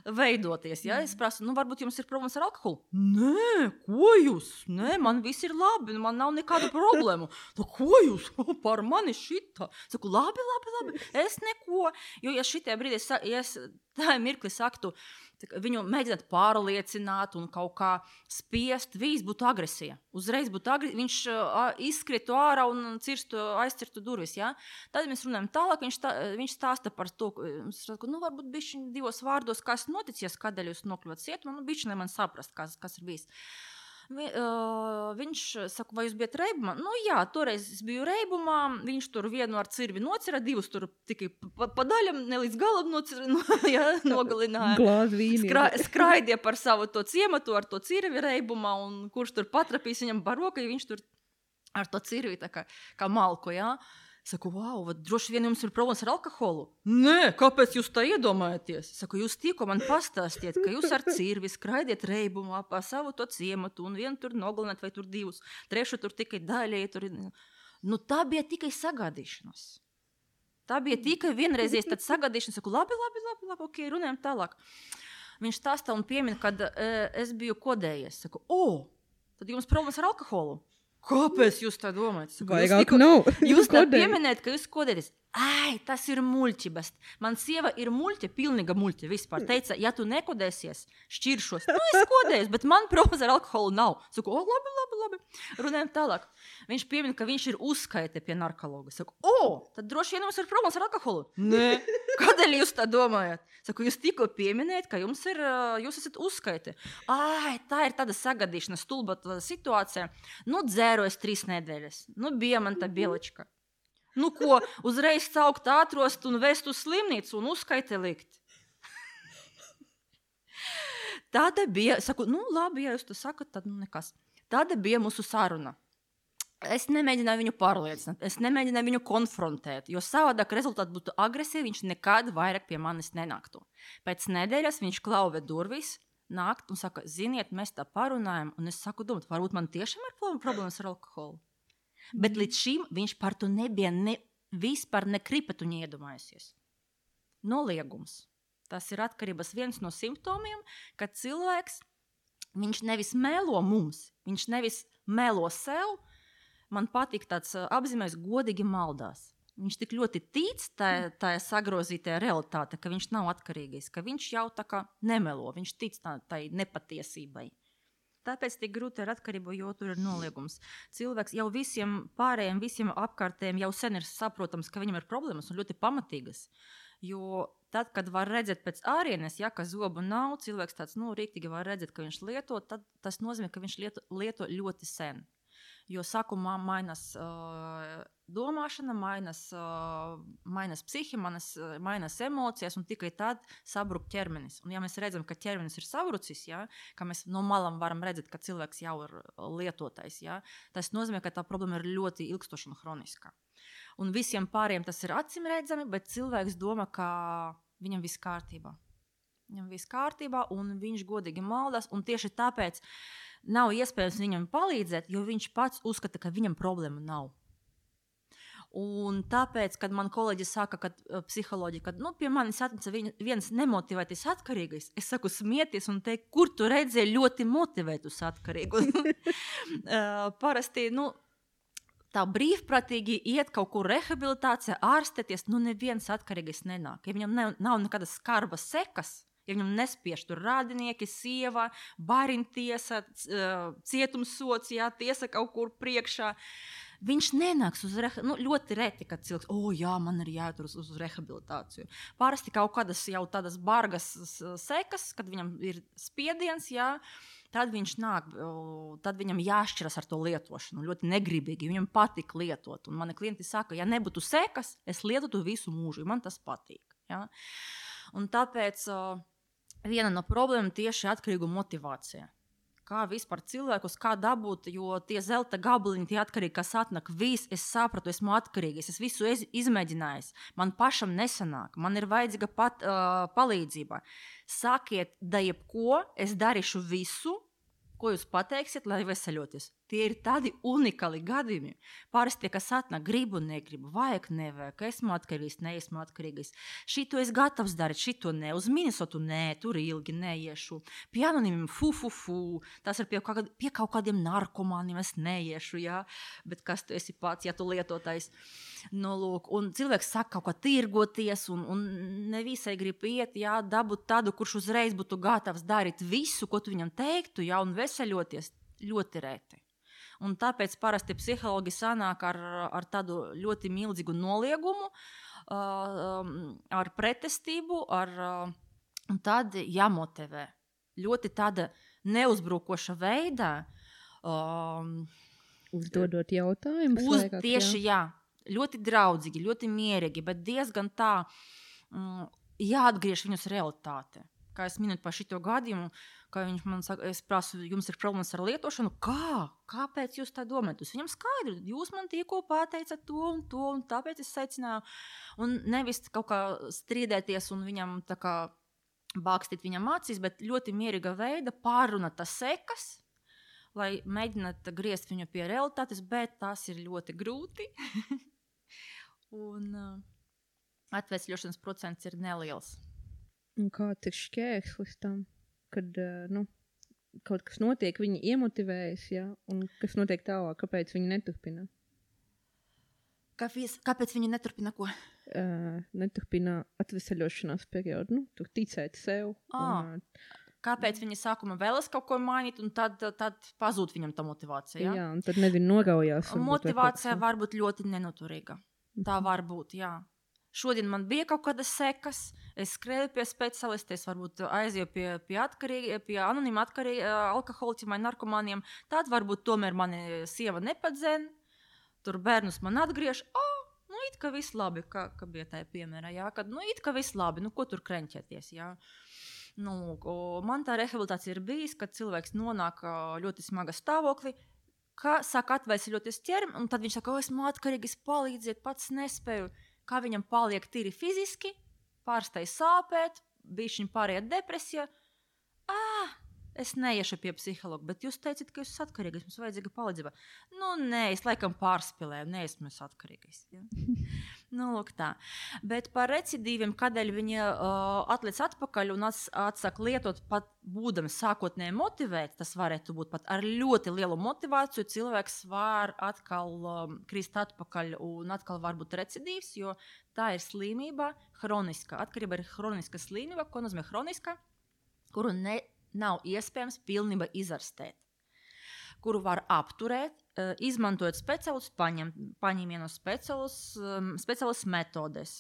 veidoties. Ja? Es prasu, varbūt jums ir problēmas ar alkoholu? Nē, ko jūs? Nē, man viss ir labi, man nav nekādu problēmu. Ko jūs? Par mani šitā? Saku, labi, es neko. Jo, ja šitie brīdī, tā mirkli saktu, viņu mēģināt pārliecināt un kaut kā spiest, viss būtu agresija. Uzreiz būtu agresija, viņš izskritu ārā un aizcirtu durvis. Ja? Tad mēs runājam tālāk, viņš stāsta par to, varbūt bišķiņ 2 vārdos, kas noticies, kādēļ jūs nokļuvat cietumā, bišķiņ, lai man saprast, kas ir bijis. Viņš saka, vai jūs bijat reibumā? Jā, toreiz es biju reibumā, viņš tur vienu ar cirvi nocira, 2 tur tikai pa daļam, ne līdz galam nogalināja. Glāzi vīni. Skraidīja par savu to ciematu ar to cirvi reibumā, un kurš tur patrapīs viņam par roku, ja viņš tur ar to cirvi tā kā malku, jā. Saku, droši vien jums ir problēmas ar alkoholu? Nē, kāpēc jūs tā iedomājaties? Saku, jūs tikko man pastāstiet, ka jūs ar cirvi skraidiet reibumā pa savu to ciematu un vienu tur nogalināt vai tur 2, 3 tur tikai daļēji tur. Tā bija tikai sagādīšanas. Tā bija tikai vienreizies tad sagādīšanas. Saku, labi, ok, runājam tālāk. Viņš stāstā un piemin, kad es biju kodējies. Saku, tad jums problēmas ar alkoholu? Kāpēc jūs tā domājat? Vairāk nav. Jūs tā pieminējat, ka jūs kodēties. Ai, tas ir muļķības. Man sieva ir muļķa, pilnīga muļķa vispār. Teica, ja tu nekodēsies, šķiršos. Nu, es kodēju, bet man problēmas ar alkoholu nav. Saku, labi. Runājam tālāk. Viņš piemin, ka viņš ir uzskaite pie narkologa. Saku, tad droši vien jums ir problēmas ar alkoholu. Nē, kādēļ jūs tā domājat? Saku, jūs tikko pieminējat, ka jūs esat uzskaite. Ai, tā ir tāda sagadīšana, stulba situācija. Nu, dzērojas 3 nedēļas. Nu, bija man tā bielička. Nu, ko, uzreiz caukt ātrost un vest uz slimnīcu un uzskaite likt. Tāda bija, saku, nu, labi, ja jūs to sakat, tad nu nekas. Tāda bija mūsu saruna. Es nemēģināju viņu pārliecināt, es nemēģināju viņu konfrontēt, jo savādāk rezultāti būtu agresīvi, viņš nekad vairāk pie manis nenāktu. Pēc nedēļas viņš klauve durvis, nākt un saka, ziniet, mēs tā parunājam, un es saku, domāt, varbūt man tiešām ir problēmas ar alkoholu. Bet līdz šim viņš par to nebija vispār nekripetu neiedomājusies. Noliegums. Tas ir atkarības viens no simptomiem, kad cilvēks, viņš nevis melo mums, viņš nevis melo sev. Man patīk tāds apzīmējums, godīgi maldās. Viņš tik ļoti tic tā sagrozītajā realitāte, ka viņš nav atkarīgais, ka viņš jau tā kā nemelo, viņš tic tai nepatiesībai. Tāpēc tik grūti ar atkarību, jo tur ir noliegums. Cilvēks jau visiem pārējiem, visiem apkārtējiem jau sen ir saprotams, ka viņam ir problēmas un ļoti pamatīgas. Jo tad, kad var redzēt pēc ārienes, ja, ka zobu nav, cilvēks tāds, rīktīgi var redzēt, ka viņš lieto, tad tas nozīmē, ka viņš lieto ļoti sen. Jo sākumā mainās domāšana, mainās psihi, mainās emocijas, un tikai tad sabruk ķermenis. Un ja mēs redzam, ka ķermenis ir sabrucis, ja, ka mēs no malam varam redzēt, ka cilvēks jau ir lietotais, ja, tas nozīmē, ka tā problēma ir ļoti ilgstoša un hroniska. Un visiem pāriem tas ir acīm redzami, bet cilvēks domā, ka viņam viss kārtībā. Viņam viss kārtībā, un viņš godīgi maldās, un tieši tāpēc nav iespējams viņam palīdzēt, jo viņš pats uzskata, ka viņam problēma nav. Un tāpēc, kad man kolēģi saka, ka psiholoģija, kad pie manis atnesa viens nemotivētais atkarīgais, es saku smieties un teikt, kur tu redzēji ļoti motivētus atkarīgus. Parasti, tā brīvprātīgi iet kaut kur rehabilitācijā, ārstēties, neviens atkarīgais nenāk. Ja viņam nav nekādas skarbas sekas, ja viņam nespiež tur rādinieki, sieva, barintiesa, cietumsots, jā, tiesa kaut kur priekšā, viņš nenāks uz ļoti reti, kad cilvēks, man ir jāiet uz rehabilitāciju. Parasti kaut kādas jau tādas bargas sekas, kad viņam ir spiediens, jā, tad viņš nāk, tad viņam jāšķiras ar to lietošanu, ļoti negribīgi, viņam patīk lietot. Un mani klienti saka, ja nebūtu sekas, es lietotu visu mūžu, man tas patīk. Ja? Un tāpēc viena no problēmām tieši atkarīgu motivācija. Kā vispār cilvēkus, kā dabūt, jo tie zelta gabaliņi, tie atkarīgi, kas atnāk, es sapratu, esmu atkarīgs, es visu izmēģinājis, man pašam nesanāk, man ir vajadzīga palīdzība. Sakiet, da jebko, es darīšu visu, ko jūs pateiksiet, lai veseļoties. Tie ir tādi unikāli gadījumi. Parasti tie, kas atnāk, gribu, negribu, vajag, nevajag, esmu atkarīgs, neesmu atkarīgs. Šito es gatavs darīt, šito ne. Uz Minnesotu nē, tur ilgi neiešu. Pie anonīmiem Tas ir pie kaut kādiem narkomāniem es neiešu, jā. Bet kas tu esi pats, ja tu lietotais? Lūk, un cilvēks saka kaut kā tirgoties, un nevisai grib iet, jā, dabūt tādu, kurš uzreiz būtu gatavs darīt visu, ko tu viņam teiktu, jā, un veseļoties ļoti reti. Un tāpēc parasti psihologi sanāk ar tādu ļoti milzīgu noliegumu, ar pretestību, un tad jāmotivē. Ļoti tāda neuzbrukoša veidā. Uzdodot jautājumus. Tieši, jā. Ļoti draudzīgi, ļoti mierīgi, bet diezgan tā jāatgriež viņus realitāte. Kā es minēju par šito gadījumu, ka viņš man saka, es prasu, jums ir problēmas ar lietošanu, kāpēc jūs tā domājat? Jūs viņam skaidru, jūs man tikko pateicat to, un tāpēc es secināju. Un nevis kaut kā strīdēties un viņam tā kā bākstīt viņam acīs, bet ļoti mierīga veida pārrunāt tas sekas, lai mēģināt griezt viņu pie realitātes, bet tas ir ļoti grūti. Un atvesļošanas procents ir neliels. Un kāds ir šķērslis tam, kad kaut kas notiek, viņi iemotivējas, ja? Un kas notiek tālāk, kāpēc viņi neturpina? Kāpēc viņi neturpina ko? Neturpina atvesaļošanās periodu, tur ticēt sev. Kāpēc viņi sākumā vēlas kaut ko mainīt, un tad pazūd viņam tā motivācija? Jā, un tad noraujās. Motivācija var būt ļoti nenoturīga. Tā var būt, jā. Šodien man bija kaut kādas sekas, es skrēju pie speciālistiem, varbūt aizēju pie anonīma alkoholiķiem vai narkomāniem. Tad varbūt tomēr mani sieva nepadzēn, tur bērnus man atgriež. It kā viss labi, kā bija tajā piemērā, jā, kad it kā viss labi, ko tur kreņķēties, jā. Man tā rehabilitācija ir bijis, kad cilvēks nonāk ļoti smaga stāvoklī, saka atveseļoties ķermi, un tad viņš saka, esmu atkarīgs, palīdziet, pats nespēju. Kā viņam paliek tīri fiziski, pārstāj sāpēt, bišķiņ pāriet depresija. Es neiešu pie psihologa, bet jūs teicat, ka jūs esat atkarīgais, mums vajadzīga palīdzība. Nē, es laikam pārspēlēju, neesmu atkarīgais. Ja? Lūk tā. Bet par recidīviem, kādēļ viņi atliec atpakaļ un atsāk lietot pat būdami sākotnēji motivēt, tas varētu būt pat ar ļoti lielu motivāciju, cilvēks var atkal krist atpakaļ un atkal var būt recidīvs, jo tā ir slimība, hroniska. Atkarība ir hroniska slimība, ko nozīmē hroniska, kuru nav iespējams pilnībā izārstēt, kuru var apturēt, izmantojot speciālus paņēmienus, speciālus metodes.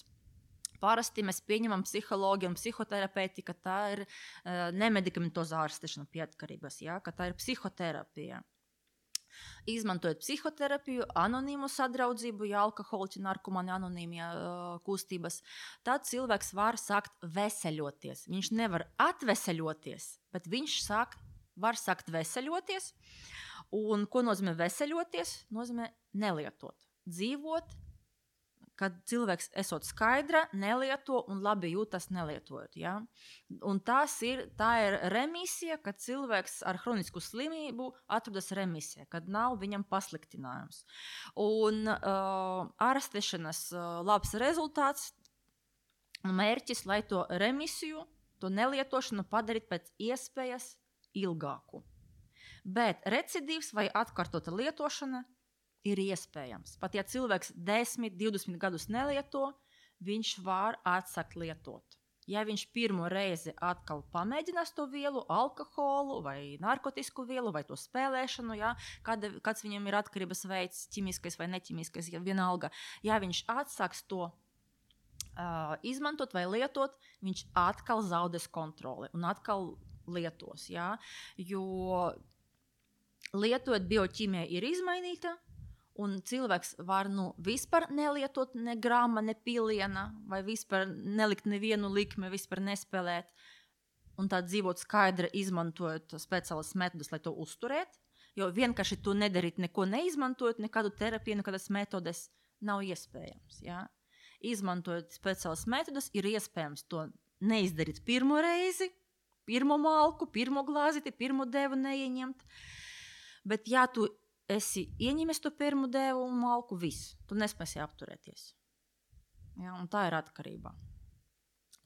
Parasti mēs pieņemam psiholoģiju un psihoterapeiti, ka tā ir nemedikamentozā ārstēšana pie atkarības, ja? Ka tā ir psihoterapija. Izmantojot psihoterapiju, anonīmu sadraudzību, ja alkoholiķi, narkomāni, anonīmie kustības, tad cilvēks var sākt veseļoties. Viņš nevar atveseļoties, bet viņš var sākt veseļoties. Un ko nozīmē veseļoties? Nozīmē nelietot. Dzīvot, kad cilvēks esot skaidra, nelieto un labi jūtas nelietojot. Ja? Un tā ir remisija, kad cilvēks ar hronisku slimību atrodas remisijā, kad nav viņam pasliktinājums. Un ārstēšanas labs rezultāts un mērķis, lai to remisiju, to nelietošanu padarīt pēc iespējas ilgāku. Bet recidīvs vai atkārtota lietošana ir iespējams. Pat ja cilvēks 10, 20 gadus nelieto, viņš var atsākt lietot. Ja viņš pirmo reizi atkal pamēģinās to vielu, alkoholu vai narkotisku vielu vai to spēlēšanu, ja, kāds viņam ir atkarības veids, ķimiskais vai neķimiskais, ja vienalga. Ja viņš atsāks to izmantot vai lietot, viņš atkal zaudēs kontroli un atkal lietos. Ja, jo lietojot bioķīmija ir izmainīta, un cilvēks var vispār nelietot ne grama, ne piliena, vai vispār nelikt nevienu likmi, vispār nespēlēt, un tā dzīvot skaidri, izmantojot speciālas metodas, lai to uzturētu, jo vienkārši to nedarīt, neko neizmantojot, nekādu terapiju, nekādas metodas nav iespējams. Ja? Izmantojot speciālas metodas, ir iespējams to neizdarīt pirmo reizi, pirmo malku, pirmo glāziti, pirmo devu neieņemt, bet ja tu esi ieņemies to pirmo devu un malku, viss. Tu nespēsi apturēties. Ja, un tā ir atkarība.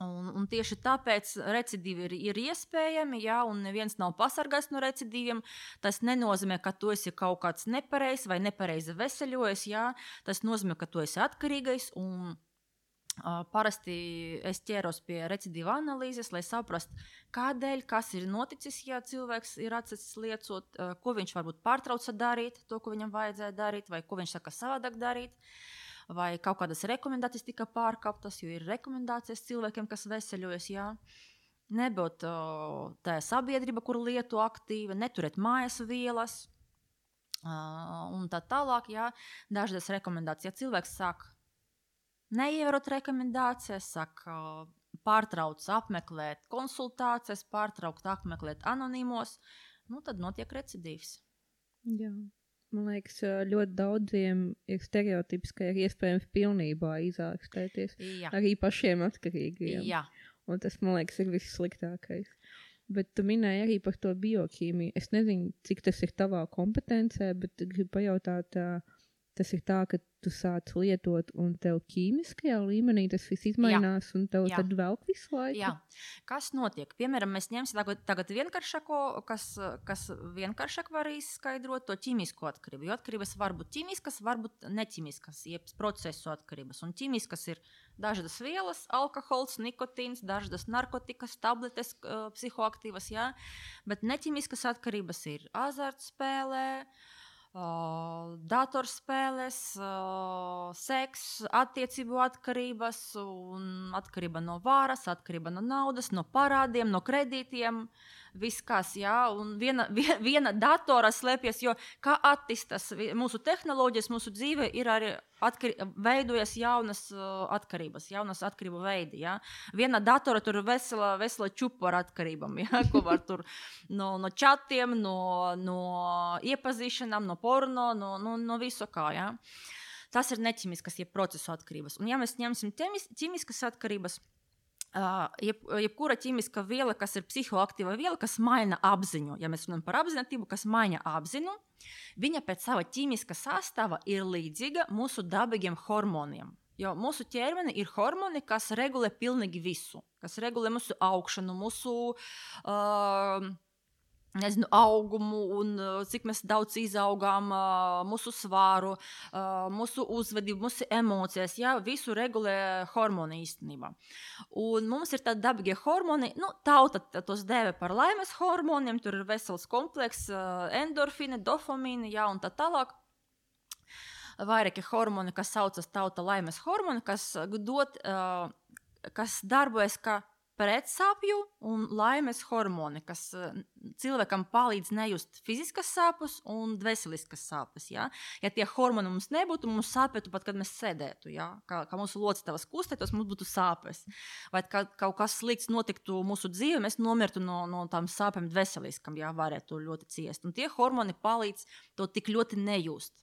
Un tieši tāpēc recidīvi ir iespējami, ja, un neviens nav pasargāts no recidīviem. Tas nenozīmē, ka tu esi kaut kāds nepareizs vai nepareizi veseļojies. Ja. Tas nozīmē, ka tu esi atkarīgais un parasti es ķēros pie recidīva analīzes, lai saprastu, kādēļ, kas ir noticis, ja cilvēks ir atsācis liecot, ko viņš varbūt pārtrauca darīt, to, ko viņam vajadzēja darīt, vai ko viņš saka savādāk darīt, vai kaut kādas rekomendācijas tika pārkāptas, jo ir rekomendācijas cilvēkiem, kas veseļojas, jā. Nebūt tā sabiedrība, kur lieto aktīvi, neturēt mājas vielas, un tā tālāk, jā, dažādas rekomendācijas. Ja cilvēks sāk neievērot rekomendācijas, saka, pārtrauc apmeklēt konsultācijas, pārtraukt apmeklēt anonīmos, tad notiek recidīvs. Jā. Man liekas, ļoti daudziem ir stereotips, ka ir iespējams pilnībā izārstēties. Arī pašiem atkarīgiem. Jā. Un tas, man liekas, ir vissliktākais. Bet tu minēji arī par to bioķīmiju. Es nezinu, cik tas ir tavā kompetencē, bet gribu pajautāt, tas ir tā, ka tu sāc lietot un tev ķīmiskajā līmenī tas viss izmainās un tev tad velk visu laiku? Jā. Kas notiek? Piemēram, mēs ņemsim tagad vienkāršāko, kas vienkāršāk var izskaidrot to ķīmisko atkarību. Jo atkarības var būt ķīmiskas, var būt neķīmiskas, jeb procesu atkarības. Un ķīmiskas ir dažādas vielas, alkohols, nikotīns, dažādas narkotikas, tabletes, psihoaktīvas, jā. Bet neķīmiskas atkarības ir azartspēlē, datorspēles, seks, attiecību atkarības, un atkarība no varas, atkarība no naudas, no parādiem, no kredītiem. Viss kas, jā, un viena datora slēpjas, jo kā attīstās mūsu tehnoloģijas, mūsu dzīve ir arī veidojas jaunas atkarības, jaunas atkarību veidi, jā. Viena datora tur vesela čupa ar atkarībām, jā, ko var tur no čatiem, no iepazīšanām, no porno, no visu kā, jā. Tas ir neķimiskas, jeb procesu atkarības. Un ja mēs ņemsim ķimiskas atkarības, jebkura ķīmiska viela, kas ir psihoaktīva viela, kas maina apziņu. Ja mēs runājam par apziņotību, kas maina apziņu, viņa pēc sava ķīmiska sastāva ir līdzīga mūsu dabīgiem hormoniem. Jo mūsu ķermeni ir hormoni, kas regulē pilnīgi visu. Kas regulē mūsu augšanu, mūsu augumu un cik mēs daudz izaugām, mūsu svāru, mūsu uzvedību, mūsu emocijas, jā, visu regulē hormoni īstenībā. Un mums ir tādi dabīgie hormoni, tauta tos dēvē par laimes hormoniem, tur ir vesels kompleks, endorfīni, dopamīni, jā, un tā tālāk. Vairāki hormoni, kas saucas tauta laimes hormoni, kas darbojas kā pretsāpju un laimes hormoni, kas cilvēkam palīdz nejust fiziskas sāpes un dvēseliskas sāpes. Ja? Ja tie hormoni mums nebūtu, mums sāpētu pat, kad mēs sēdētu. Ja? Kā mūsu locekļi kustētos, mums būtu sāpes. Vai kaut kas slikts notiktu mūsu dzīvē, mēs nomirtu no tām sāpēm dvēseliskam, ja varētu ļoti ciest. Un tie hormoni palīdz to tik ļoti nejust.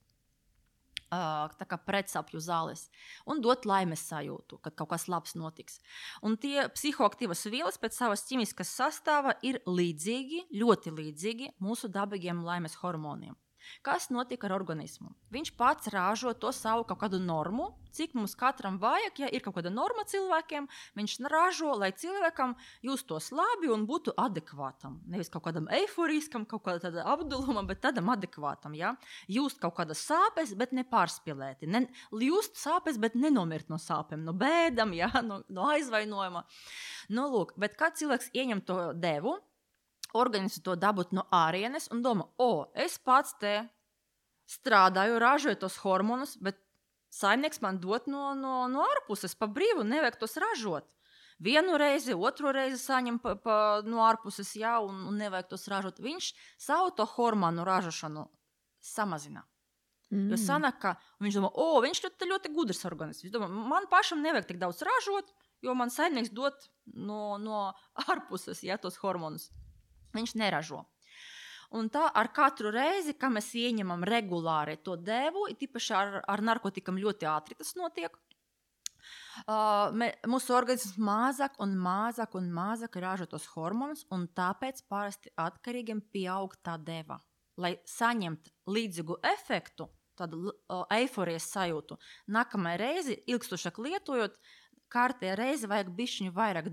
Tā kā pretsapju zāles un dot laimes sajūtu, kad kaut kas labs notiks. Un tie psihoaktīvas vielas pēc savas ķīmiskas sastāva ir līdzīgi, ļoti līdzīgi mūsu dabīgiem laimes hormoniem. Kas notiek ar organismu? Viņš pats ražo to savu kaut kādu normu, cik mums katram vajag, ja ir kaut kāda norma cilvēkiem, viņš ražo, lai cilvēkam justos labi un būtu adekvātam. Nevis kaut kādam eiforiskam, kaut kāda apdulumam, bet tādam adekvātam, ja? Just kaut kādas sāpes, bet nepārspīlēti. Just sāpes, bet nenomirt no sāpēm, no bēdam, ja? No aizvainojuma. Lūk, bet kad cilvēks ieņem to devu, organismu to dabūt no ārienes un domā, es pats te strādāju, ražoju tos hormonus, bet saimnieks man dot no ārpuses pa brīvu, nevajag tos ražot. Vienu reizi, otru reizi saņem no ārpuses, jā, un nevajag tos ražot. Viņš savu to hormonu ražošanu samazina. Jo sanāk, ka viņš domā, viņš ļoti gudrs organisms. Viņš domā, man pašam nevajag tik daudz ražot, jo man saimnieks dot no ārpuses, jā, tos hormonus. Viņš neražo. Un tā ar katru reizi, kad mēs ieņemam regulāri to devu, tīpaši ar narkotikam ļoti ātri tas notiek, mūsu organisms mazāk un mazāk ražo tos hormonus, un tāpēc parasti atkarīgiem pieaug tā deva. Lai saņemt līdzīgu efektu, tādu eiforijas sajūtu, nākamajai reizi, ilgstošāk lietojot, kārtē reizi vajag bišķiņu vairāk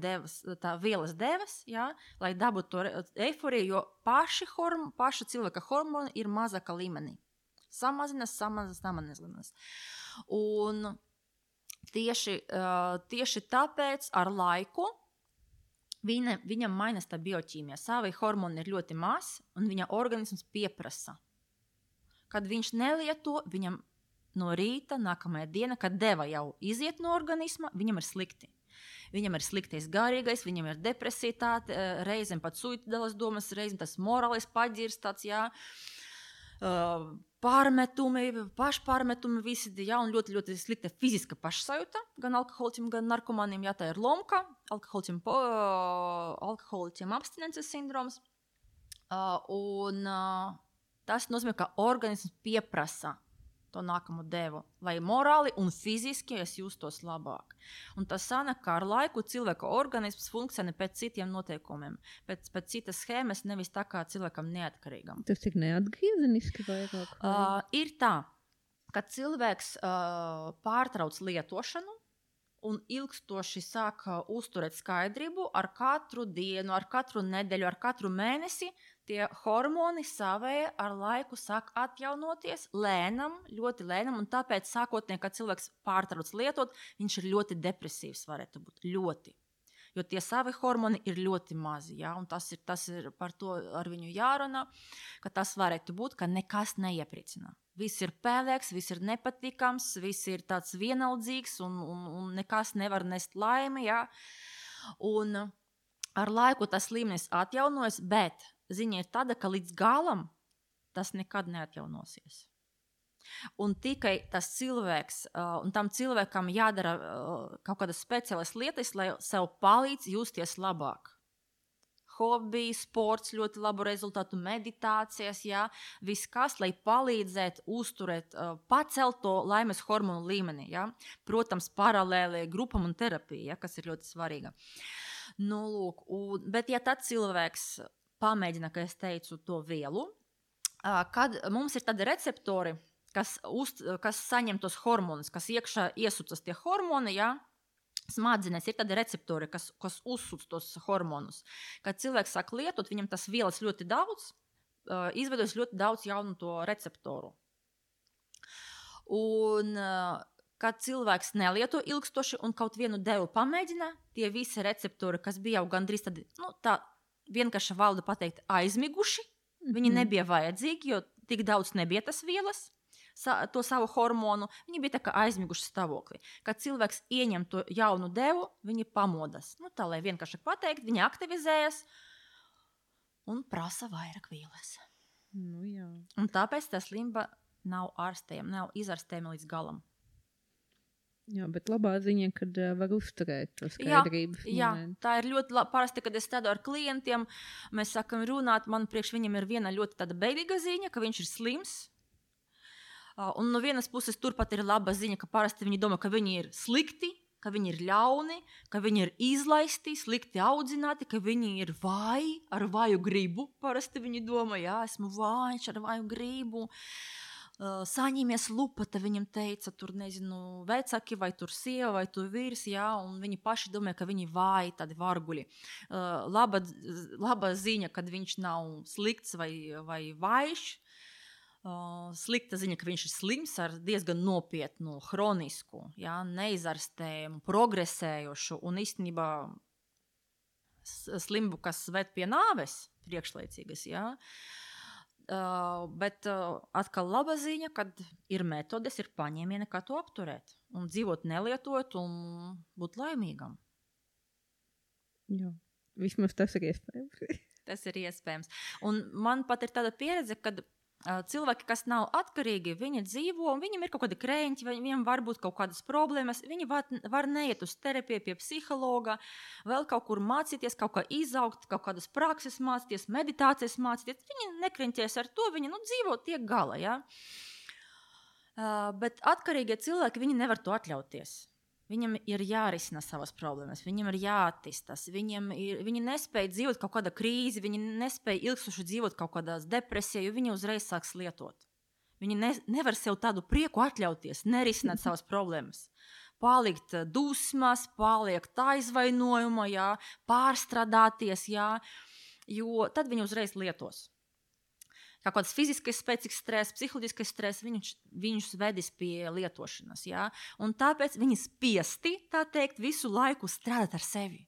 vielas devas, ja, lai dabūtu to eiforiju, jo paša cilvēka hormoni ir mazāka līmenī. Samazinās. Un tieši tāpēc ar laiku viņam mainās tā bioķīmija. Savi hormoni ir ļoti maz, un viņa organisms pieprasa. Kad viņš nelieto, viņam no rīta, nākamajā diena, kad deva jau iziet no organisma, viņam ir slikti. Viņam ir sliktais garīgais, viņam ir depresitāte, reizēm pat suicidālas domas, reizēm tas morālais paģirs, tāds, jā, pašpārmetumi visi, jā, un ļoti, ļoti slikta fiziska pašsajūta, gan alkoholiķiem, gan narkomaniem, jā, tā ir lomka, alkoholiķiem abstinences sindroms, un tas nozīmē, ka organisms pieprasa to nākamo devu, lai morāli un fiziski es justos labāk. Un tas sanāk, ka ar laiku cilvēka organisms funkcionē pēc citiem noteikumiem, pēc citas schēmas, nevis tā kā cilvēkam neatkarīgam. Tas ir neatgriezeniski vairāk? Ir tā, kad cilvēks pārtrauc lietošanu un ilgstoši sāk uzturēt skaidrību ar katru dienu, ar katru nedēļu, ar katru mēnesi, tie hormoni savējie ar laiku sāk atjaunoties lēnam, ļoti lēnam, un tāpēc sākotnēji, kad cilvēks pārtrauc lietot, viņš ir ļoti depresīvs, varētu būt, ļoti. Jo tie savi hormoni ir ļoti mazi, ja? Un tas ir par to ar viņu jārunā, ka tas varētu būt, ka nekas neiepriecina. Viss ir pēlēks, viss ir nepatīkams, viss ir tāds vienaldzīgs un nekas nevar nest laimi, ja? Un ar laiku tas līmenis atjaunojas, bet ziņa ir tāda, ka līdz galam tas nekad neatjaunosies. Un tikai tas cilvēks, un tam cilvēkam jādara kaut kādas speciālas lietas, lai sev palīdz justies labāk. Hobby, sports, ļoti labu rezultātu, meditācijas, jā, viss kas, lai palīdzētu uzturēt, pacelt to laimes hormonu līmeni, jā. Protams, paralēli grupam un terapija, jā, kas ir ļoti svarīga. Nu, lūk, bet ja tad cilvēks pamēģina, kā es teicu, to vielu, kad mums ir tādi receptori, kas saņem tos hormonus, kas iekšā iesucas tie hormoni, ja? Smadzenēs ir tādi receptori, kas uzsuc tos hormonus. Kad cilvēks sāk lietot, viņam tas vielas ļoti daudz, izveidojas ļoti daudz jaunu to receptoru. Un kad cilvēks nelieto ilgstoši un kaut vienu devu pamēģina, tie visi receptori, kas bija jau gandrīz tādi, tā vienkārši valoda pateikt, aizmiguši, viņi nebija vajadzīgi, jo tik daudz nebija tas vielas, to savu hormonu, viņi bija tā kā aizmiguši stāvoklī. Kad cilvēks ieņem to jaunu devu, viņi pamodas. Tā, lai vienkārši pateikt, viņi aktivizējas un prasa vairāk vielas. Jā. Un tāpēc tā slimība nav ārstējama, nav izārstējama līdz galam. Jā, bet labā ziņa, kad var uzturēt to skaidrības momentu. Jā, tā ir ļoti parasti, kad es strādāju ar klientiem, mēs sākam runāt, man priekš viņam ir viena ļoti tāda beidīga ziņa, ka viņš ir slims. Un no vienas puses turpat ir laba ziņa, ka parasti viņi domā, ka viņi ir slikti, ka viņi ir ļauni, ka viņi ir izlaisti, slikti audzināti, ka viņi ir vāji, ar vāju gribu. Parasti viņi domā, jā, esmu vājš ar vāju gribu. Saņemies lupata, viņam teica, tur nezinu, vecāki vai tur sieva vai tur vīrs, jā, un viņi paši domā, ka viņi vāji, tādi varguļi. Laba ziņa, kad viņš nav slikts vai vājš. Slikta ziņa, ka viņš ir slims ar diezgan nopietnu, hronisku, ja, neizārstējumu, progresējošu un īstenībā slimību, kas ved pie nāves priekšlaicīgas. Ja. Bet atkal laba ziņa, kad ir metodes, ir paņēmieni, kā to apturēt un dzīvot nelietojot un būt laimīgam. Jā, vismaz tas ir iespējams. Tas ir iespējams. Un man pat ir tāda pieredze, kad cilvēki, kas nav atkarīgi, viņi dzīvo, un viņiem ir kaut kādi krēņķi, viņiem var būt kaut kādas problēmas, viņi var neiet uz terapiju pie psihologa, vēl kaut kur mācīties, kaut kā izaugt, kaut kādas prakses mācīties, meditācijas mācīties, viņi nekreņķēs ar to, viņi dzīvo tiek gala, ja? Bet atkarīgie cilvēki, viņi nevar to atļauties. Viņam ir jārisina savas problēmas, viņam ir jāattīstās, viņi nespēja dzīvot kaut kādā krīzi, viņi nespēja ilgstoši dzīvot kaut kādās depresijā, jo viņi uzreiz sāks lietot. Viņi nevar sev tādu prieku atļauties, nerisināt savas problēmas. Palikt dusmas, palikt aizvainojumā, jā, pārstrādāties, jā, jo tad viņi uzreiz lietos. Kā kāds fiziskais spēcīgs stress, psiholoģiskais stress, viņus vedis pie lietošanas. Ja? Un tāpēc viņi spiesti, tā teikt, visu laiku strādāt ar sevi.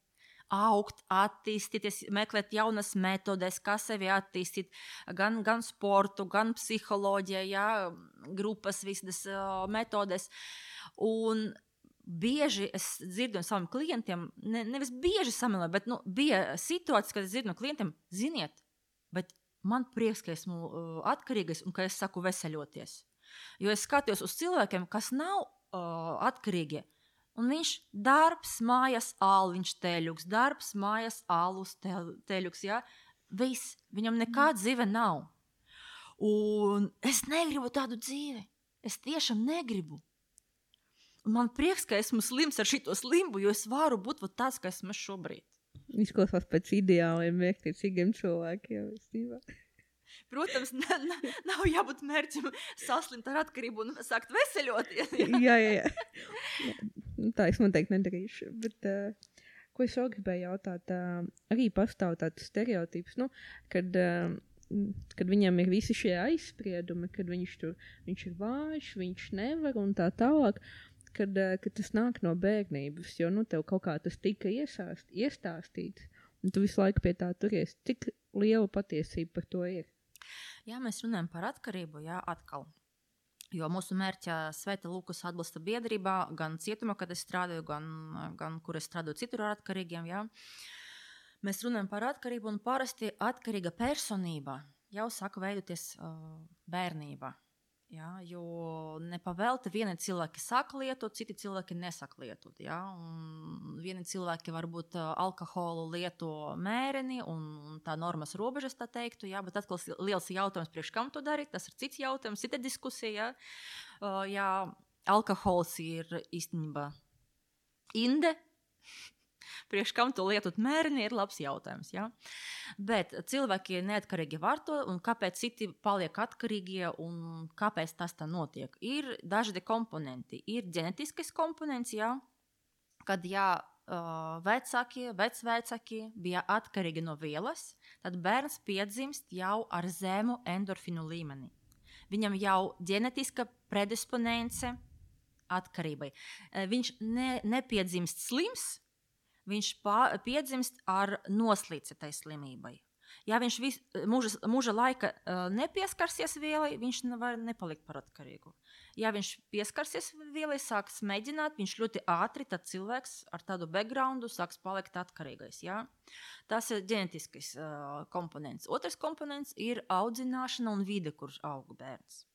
Augt, attīstīties, meklēt jaunas metodes, kā sevi attīstīt, gan sportu, gan psiholoģiju, ja? Grupas visas metodes. Un bieži es dzirdu no saviem klientiem, nevis bieži samilē, bet bija situācijas, kad es dzirdu no klientiem, ziniet, bet man prieks, ka esmu atkarīgais un ka es saku veseļoties. Jo es skatos uz cilvēkiem, kas nav atkarīgi, un viņš darbs, mājas, ālu, viņš teļuks, darbs, mājas, ālus, teļuks, ja? Viss, viņam nekāda dzīve nav. Un es negribu tādu dzīvi. Es tiešām negribu. Un man prieks, ka esmu slims ar šito slimbu, jo es varu būt tāds, kā esmu šobrīd. Izklausās pēc ideāliem, mērķtiecīgiem cilvēkiem. Protams, nav jābūt mērķim saslimt ar atkarību un sākt veseļoties. Jā. Tā es noteikti nedarīšu. Bet, ko es vēl gribēju jautāt, arī pastāv tāds stereotips, kad viņam ir visi šie aizspriedumi, kad viņš ir vājš, viņš nevar un tā tālāk, kad tas nāk no bērnības, jo tev kaut kā tas tika iestāstīts, un tu visu laiku pie tā turies. Cik liela patiesība par to ir? Jā, mēs runājam par atkarību, atkal. Jo mūsu mērķa Svētā Lukas atbalsta biedrībā, gan cietumā, kad es strādāju, gan kur es strādāju citur ar atkarīgiem, Mēs runājam par atkarību, un parasti atkarīga personība jau saka veidoties bērnībā. Jo nepavēlti vieni cilvēki saka lietot, citi cilvēki nesaka lietot. Un vieni cilvēki varbūt alkoholu lieto mēreni un tā normas robežas, tā teiktu, bet atkal liels jautājums, priekš kam to darīt, tas ir cits jautājums, cita diskusija. Alkohols ir īstenībā inde. Priekš kam to lietot mēreni ir labs jautājums. Bet cilvēki neatkarīgi var to, un kāpēc citi paliek atkarīgie, un kāpēc tas tā notiek? Ir dažādi komponenti. Ir ģenetiskais komponents, kad vecvecāki bija atkarīgi no vielas, tad bērns piedzimst jau ar zemu endorfinu līmeni. Viņam jau ģenetiska predisponence atkarībai. Viņš nepiedzimst slims, viņš piedzimst ar noslīci tai slimībai. Ja viņš mūža laika nepieskarsies vielai, viņš var nepalikt par atkarīgu. Ja viņš pieskarsies vielai, sāks mēģināt, viņš ļoti ātri, tad cilvēks ar tādu backgroundu sāks palikt atkarīgais. Tas ir ģenetiskais komponents. Otrs komponents ir audzināšana un vide, kurš aug bērns.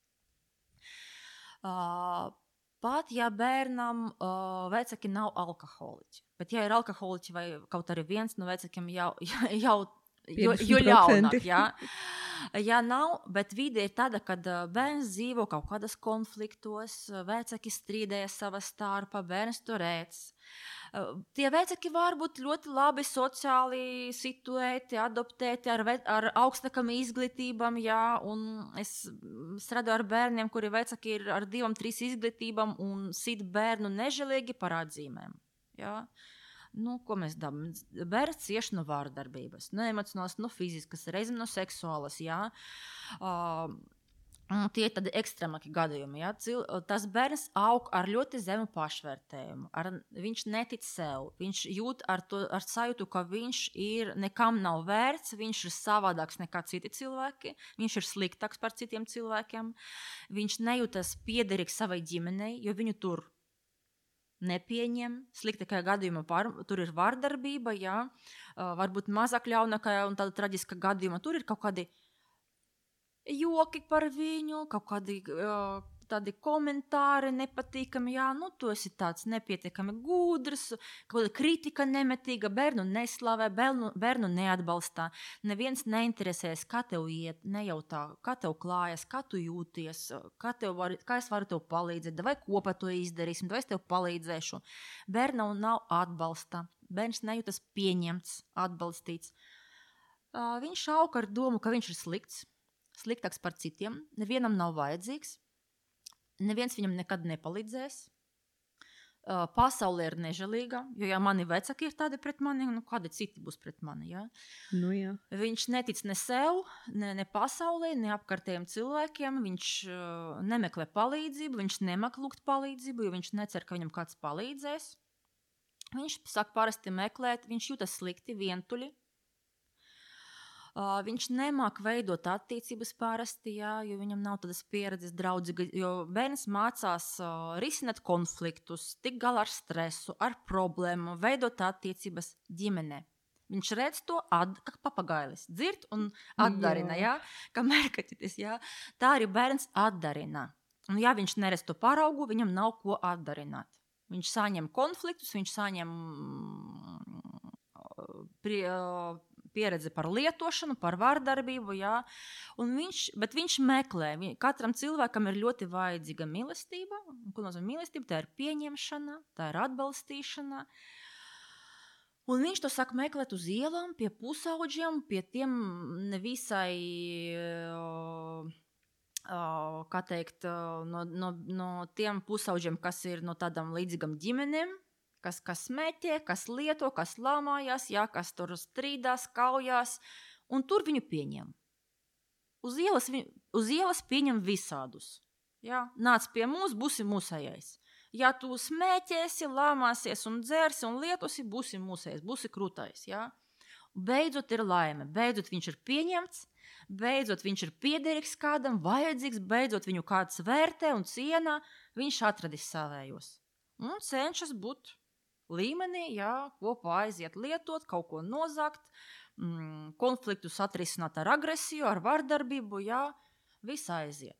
Pat ja bērnam vecāki nav alkoholiķi, bet ja ir alkoholiķi vai kaut arī viens no vecākiem jau ļaunāk. Ja nav, bet vide ir tāda, kad bērns dzīvo kaut kādas konfliktos, vecāki strīdējas savā starpā, bērns to redz. Tie vecāki var būt ļoti labi sociāli situēti, adoptēti ar augstākām izglītībām, un es strādāju ar bērniem, kuri vecāki ir ar 2-3 izglītībām un sit bērnu nežēlīgi par atzīmēm. Ko mēs dabam? Bērns cieš no vārdarbības, no emocionālas, no fiziskas, reizēm no seksuālas, Tie ir tādi ekstremāki gadījumi. Tas bērns aug ar ļoti zemu pašvērtējumu. Viņš netic sev. Viņš jūt ar sajūtu, ka viņš nekam nav vērts, viņš ir savādāks nekā citi cilvēki, viņš ir sliktāks par citiem cilvēkiem, viņš nejūtas piederīgs savai ģimenei, jo viņu tur nepieņem. Sliktākajā gadījumā tur ir vārdarbība, varbūt mazāk ļaunākajā un tāda traģiska gadījumā tur ir kaut kādi joki par viņu, kaut kādi tādi komentāri nepatīkami, tu esi tāds nepietiekami gudrs, kaut kāda kritika nemetīga, bērnu neslavē, bērnu neatbalstā, neviens neinteresēs, kā tev iet, nejautā, kā tev klājas, kā tu jūties, kā es varu tev palīdzēt, vai kopā to izdarīsim, vai es tev palīdzēšu. Bērnam nav atbalsta, bērns nejūtas pieņemts, atbalstīts. Viņš aug ar domu, ka viņš ir sliktāks par citiem, nevienam nav vajadzīgs, neviens viņam nekad nepalīdzēs. Pasaule ir nežēlīga, jo ja mani vecāki ir tādi pret mani, kādi citi būs pret mani. Viņš netic ne sev, ne pasaulē, ne apkārtējiem cilvēkiem, viņš nemeklē palīdzību, viņš nemāk lūgt palīdzību, jo viņš necer, ka viņam kāds palīdzēs. Viņš sāk parasti meklēt, viņš jūtas slikti, vientuļi. Viņš nemāk veidot attiecības parasti, jo viņam nav tādas pieredzes draudzīga, jo bērns mācās risināt konfliktus, tikt galā ar stresu, ar problēmu, veidot attiecības ģimenē. Viņš redz to kā papagailis, dzird un atdarina, kā mērkaķitis, Tā arī bērns atdarina. Un ja viņš neredz to paraugu, viņam nav ko atdarināt. Viņš saņem konfliktus, viņš saņem pieredze par lietošanu, par vārdarbību, bet viņš meklē. Katram cilvēkam ir ļoti vajadzīga mīlestība. Ko nozīmē mīlestība? Tā ir pieņemšana, tā ir atbalstīšana. Un viņš to saka meklēt uz ielām, pie pusauģiem, pie tiem nevisai, kā teikt, no tiem pusauģiem, kas ir no tādām līdzīgam ģimenēm, kas smēķē, kas lieto, kas lamājās, jā, kas tur strīdās, kaujās, un tur viņu pieņem. Uz ielas pieņem visādus. Jā, nāc pie mums, būsi mūsējais. Ja tu smēķēsi, lāmāsies un dzersi un lietosi, būsi mūsējais, būsi krūtais. Jā. Beidzot ir laime, beidzot viņš ir pieņemts, beidzot viņš ir piederīgs kādam, vajadzīgs, beidzot viņu kāds vērtē un cienā, viņš atradis savējos. Un cenšas būt līmenī, jā, kopā aiziet lietot, kaut ko nozagt, konfliktus atrisināt ar agresiju, ar vardarbību, jā, viss aiziet.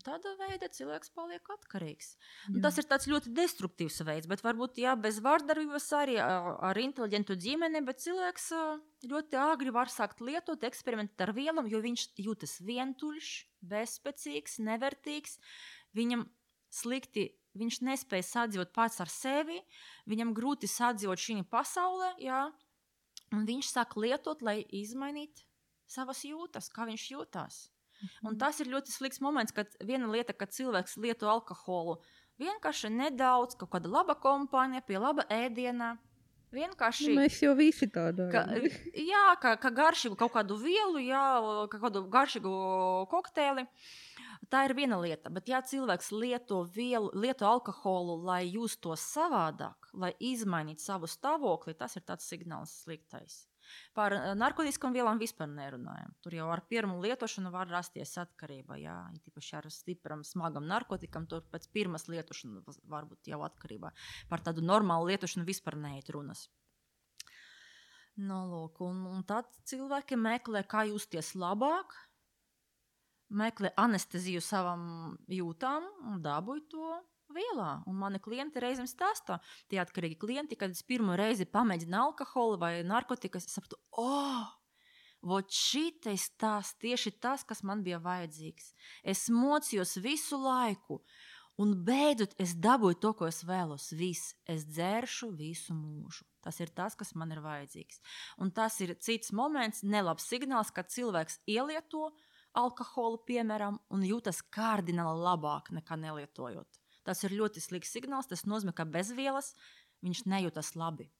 Tādā veidā cilvēks paliek atkarīgs. Tas ir tāds ļoti destruktīvs veids, bet varbūt jā, bez vardarbības arī ar inteliģentu ģimeni, bet cilvēks ļoti āgri var sākt lietot, eksperimentēt ar vielām, jo viņš jūtas vientuļš, bezspēcīgs, nevērtīgs, viņam slikti, viņš nespēja sadzīvot pats ar sevi, viņam grūti sadzīvot šī pasaulē, jā, un viņš sāk lietot, lai izmainītu savas jūtas, kā viņš jūtās. Un tas ir ļoti slikts moments, kad viena lieta, kad cilvēks lieto alkoholu, vienkārši nedaudz, kaut kāda laba kompānija, pie laba ēdienā, vienkārši... Mēs jau visi tādā. Jā, ka garšīgu kaut kādu vielu, jā, kādu garšīgu kokteili, tā ir viena lieta, bet ja cilvēks lieto alkoholu, lai justos savādāk, lai izmainītu savu stāvokli, tas ir tāds signāls sliktais. Par narkotiskām vielām vispār nerunājam. Tur jau ar pirmu lietošanu var rasties atkarība. Jā, tīpaši ar stipram, smagam narkotikam, tur pēc pirmas lietošanas var būt jau atkarība. Par tādu normālu lietošanu vispār neiet runas. Nu, lūk, un tad cilvēki meklē, kā justies labāk, meklē anesteziju savam jūtām un dabūj to vielā. Un mani klienti reizēm stāstā, tie atkarīgi klienti, kad es pirmo reizi pamēģinu alkoholu vai narkotikas, es sapratu, vot šitais tieši tas, kas man bija vajadzīgs. Es mocījos visu laiku, un beidzot es dabūju to, ko es vēlos. Viss, es dzēršu visu mūžu. Tas ir tas, kas man ir vajadzīgs. Un tas ir cits moments, nelabs signāls, kad cilvēks ielieto alkoholu, piemēram, un jūtas kardināli labāk nekā nelietojot. Tas ir ļoti slikts signāls, tas nozīmē, ka bez vielas viņš nejūtas labi.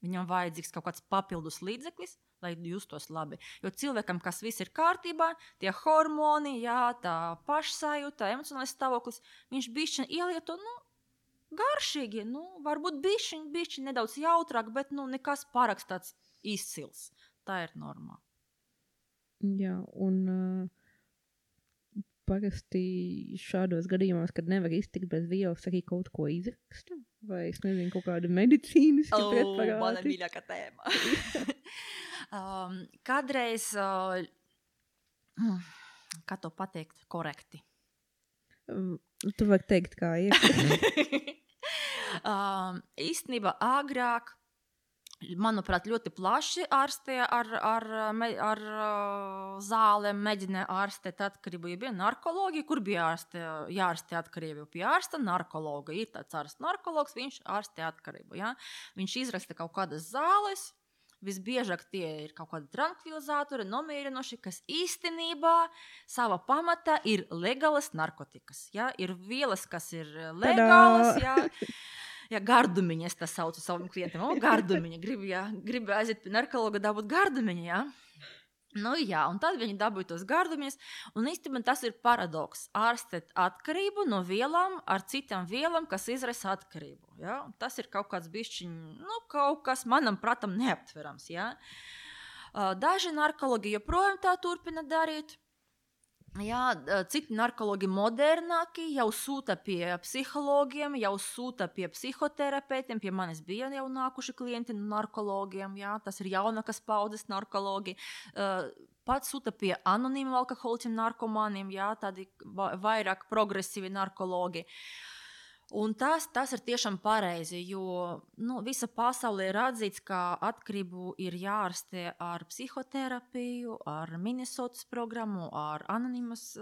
Viņam vajadzīgs kaut kāds papildus līdzeklis, lai justos labi. Jo cilvēkam, kas viss ir kārtībā, tie hormoni, jā, tā pašsajūta, emocionālais stāvoklis, viņš bišķiņ ielieto, garšīgi, varbūt bišķiņ nedaudz jautrāk, bet nekas pārāks tāds izcils. Tā ir normā. Jā, un... Parasti šādos gadījumos, kad nevar iztikt bez vielas, arī kaut ko izraksta? Vai es nezinu, kaut kāda medicīnas preparāti? Mana mīļākā tēma. Kādreiz, kā to pateikt korekti? Tu vari teikt, kā ir. Īstenībā agrāk, manuprāt, ļoti plaši ārstē ar zālēm, mēģināja ārstēt atkarību. Ja bija narkologi, kur bija jārastē atkarību? Pie ārsta narkologa. Ir tāds ārsta narkologs, viņš ārstē atkarību. Ja? Viņš izraksta kaut kādas zāles, visbiežāk tie ir kaut kādi trankvilizatori, nomierinoši, kas īstenībā savā pamatā ir legālas narkotikas. Ja? Ir vielas, kas ir legālas, ja? Ja, gardumiņa, es tā saucu savam klientam. Gardumiņa, gribu aiziet pie narkologa dabūt gardumiņa, jā. Jā, un tad viņi dabūja tos gardumiņas, un īstenībā tas ir paradoks. Ārstēt atkarību no vielām ar citām vielām, kas izraisa atkarību, jā. Un tas ir kaut kāds bišķiņ, kaut kas manam pratam neaptverams, jā. Daži narkologi joprojām tā turpina darīt. Jā, citi narkologi modernāki jau sūta pie psihologiem, jau sūta pie psihoterapeitiem, pie manis bija jau nākuši klienti narkologiem, jā, tas ir jaunākas paudzes narkologi, pats sūta pie anonīmiem alkoholiķiem narkomāniem, jā, tādi vairāk progresīvi narkologi. Un tas ir tiešām pareizi, jo visa pasaulē ir atzīts, ka atkarību ir jārastē ar psihoterapiju, ar Minnesotas programmu, ar anonīmas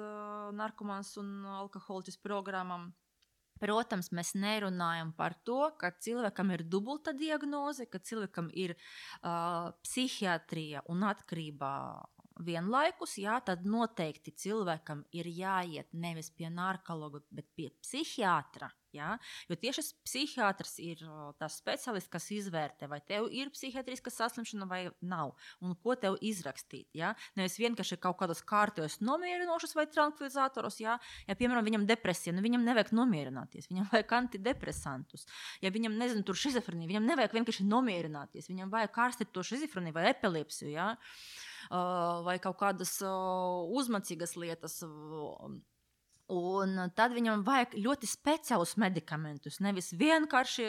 narkomāns un alkoholiķis programmam. Protams, mēs nerunājam par to, ka cilvēkam ir dubulta diagnoze, ka cilvēkam ir psihiatrija un atkarība vienlaikus, jā, tad noteikti cilvēkam ir jāiet nevis pie narkologa, bet pie psihiatra. Jā? Jo tieši psihiatrs ir tas speciālists, kas izvērtē, vai tev ir psihiatriska saslimšana vai nav, un ko tev izrakstīt. Jā? Nevis vienkārši kaut kādos kārtojos nomierinošus vai trankvilizatorus. Ja, piemēram, viņam depresija, viņam nevajag nomierināties, viņam vajag antidepresantus. Ja viņam, nezinu, tur šizofrenija, viņam nevajag vienkārši nomierināties, viņam vajag ārstēt to šizofreniju vai epilepsiju, ja? Vai kaut kādas uzmacīgas lietas. Un tad viņam vajag ļoti speciālus medikamentus, nevis vienkārši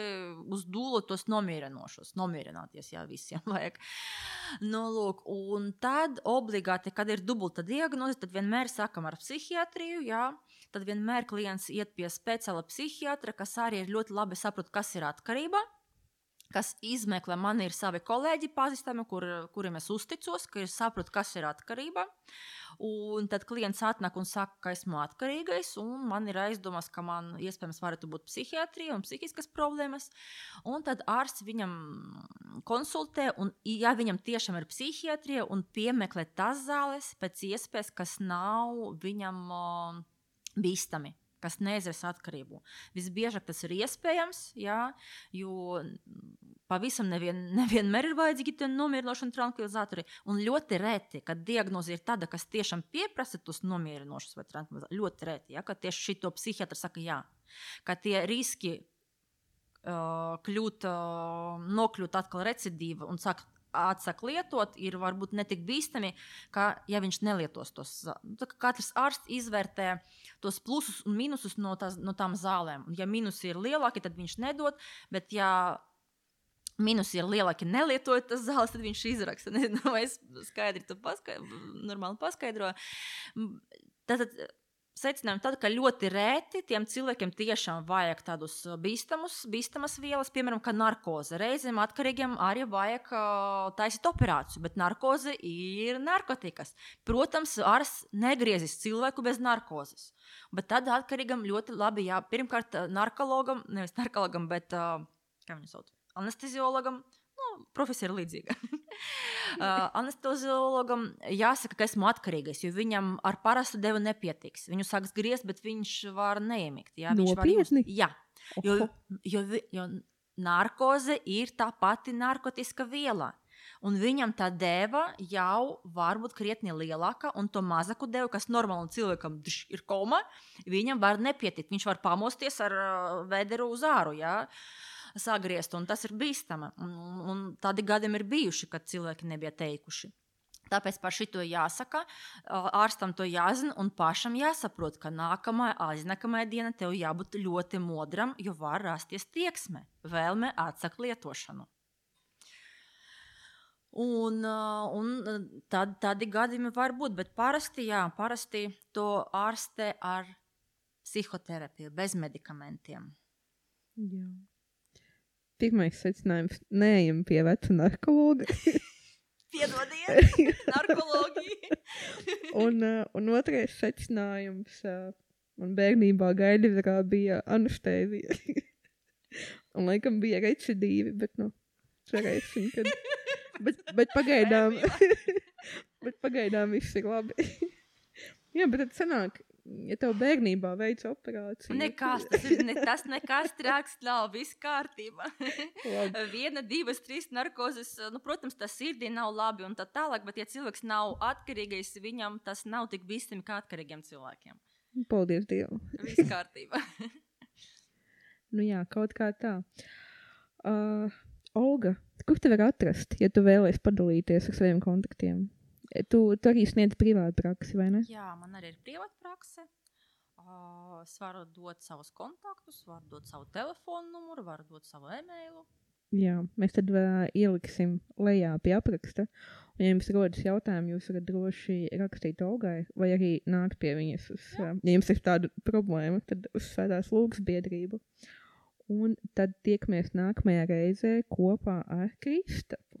uz dūlu tos nomierināties, jā, visiem vajag. Nu, lūk, un tad obligāti, kad ir dubulta diagnoze, tad vienmēr sākam ar psihiatriju, jā, tad vienmēr klients iet pie speciāla psihiatra, kas arī ir ļoti labi saprot, kas ir atkarība, kas izmeklē, man ir savi kolēģi pazīstami, kuriem es uzticos, ka es saprotu, kas ir atkarība. Un tad klients atnāk un saka, ka esmu atkarīgais, un man ir aizdomas, ka man iespējams varētu būt psihiatrija un psihiskas problēmas. Un tad ārsts viņam konsultē, un ja viņam tiešām ir psihiatrija, un piemeklē tās zāles pēc iespējas, kas nav viņam bīstami, kas neizraisa atkarību. Visbiežāk tas ir iespējams, jā, jo pavisam nevienmēr ir vajadzīgi tie nomierinošana trankvilizatori. Un ļoti reti, kad diagnoze ir tāda, kas tiešām pieprasa tos nomierinošus vai trankvilizatori, ļoti reti, ja, ka tieši šito psihiatra saka jā, ka tie riski nokļūt atkal recidīva un atsāk lietot, ir varbūt netik bīstami, ka ja viņš nelietos tos. Katrs ārsts izvērtē tos plusus un minusus no tām zālēm. Un ja minusi ir lielāki, tad viņš nedod, bet ja minusi ir lielāki nelietojot tas zāles, tad viņš izraksta. Nezinu, vai es skaidri to normāli paskaidroju. Tātad secinājumi tad, ka ļoti rēti tiem cilvēkiem tiešām vajag tādus bīstamas vielas, piemēram, kā narkoze. Reizēm atkarīgiem arī vajag taisīt operāciju, bet narkoze ir narkotikas. Protams, ārsts negriezis cilvēku bez narkozes. Bet tad atkarīgam ļoti labi, jā, pirmkārt narkologam, nevis narkologam, bet, kā viņu sauc, anesteziologam, profesija ir līdzīga. Anesteziologam jāsaka, ka esmu atkarīgais, jo viņam ar parastu devu nepietiks. Viņu sāks griezt, bet viņš var neiemigt. Jā, nopietni? Jā, jo narkoze ir tā pati narkotiska viela. Un viņam tā deva jau var būt krietni lielāka, un to mazaku devu, kas normālam cilvēkam ir koma, viņam var nepietikt. Viņš var pamosties ar vederu uz āru, jā, sagriezt, un tas ir bīstama. Un tādi gadiem ir bijuši, kad cilvēki nebija teikuši. Tāpēc par šito jāsaka, ārstam to jāzina un pašam jāsaprot, ka aiznākamā diena tev jābūt ļoti modram, jo var rasties tieksme, vēlme atsakt lietošanu. Un tādi gadījumi var būt, bet parasti to ārstē ar psihoterapiju, bez medikamentiem. Jā. Pirmais secinājums – neejam pie veca narkologa. Piedodiet, narkologija. un otrais secinājums man bērnībā gaidīvērā bija anestēzija. Un laikam bija recidīvi, bet cerēsim, kad... Bet pagaidām viss ir labi. Jā, bet tad sanāk, ja tev bērnībā veic operāciju. Nekas trāks nav, viss kārtība. 1, 2, 3 narkozes, protams, tas sirdī nav labi un tā tālāk, bet ja cilvēks nav atkarīgais, viņam tas nav tik bīstami kā atkarīgiem cilvēkiem. Paldies Dievu. Viss kārtība. Jā, kaut kā tā. Olga, kur te var atrast, ja tu vēlies padalīties ar saviem kontaktiem? Tu arī sniedz privātu praksi, vai ne? Jā, man arī ir privāta prakse. Es varu dot savus kontaktus, varu dot savu telefonu numuru, varu dot savu e-mailu. Jā, mēs tad ieliksim lejā pie apraksta. Un, ja jums rodas jautājumi, jūs varat droši rakstīt Olgai, vai arī nākt pie viņas, ja jums ir tāda problēma, tad uz Svētās Lūgas biedrību. Un tad tiekamies nākamajā reizē kopā ar Kristapu.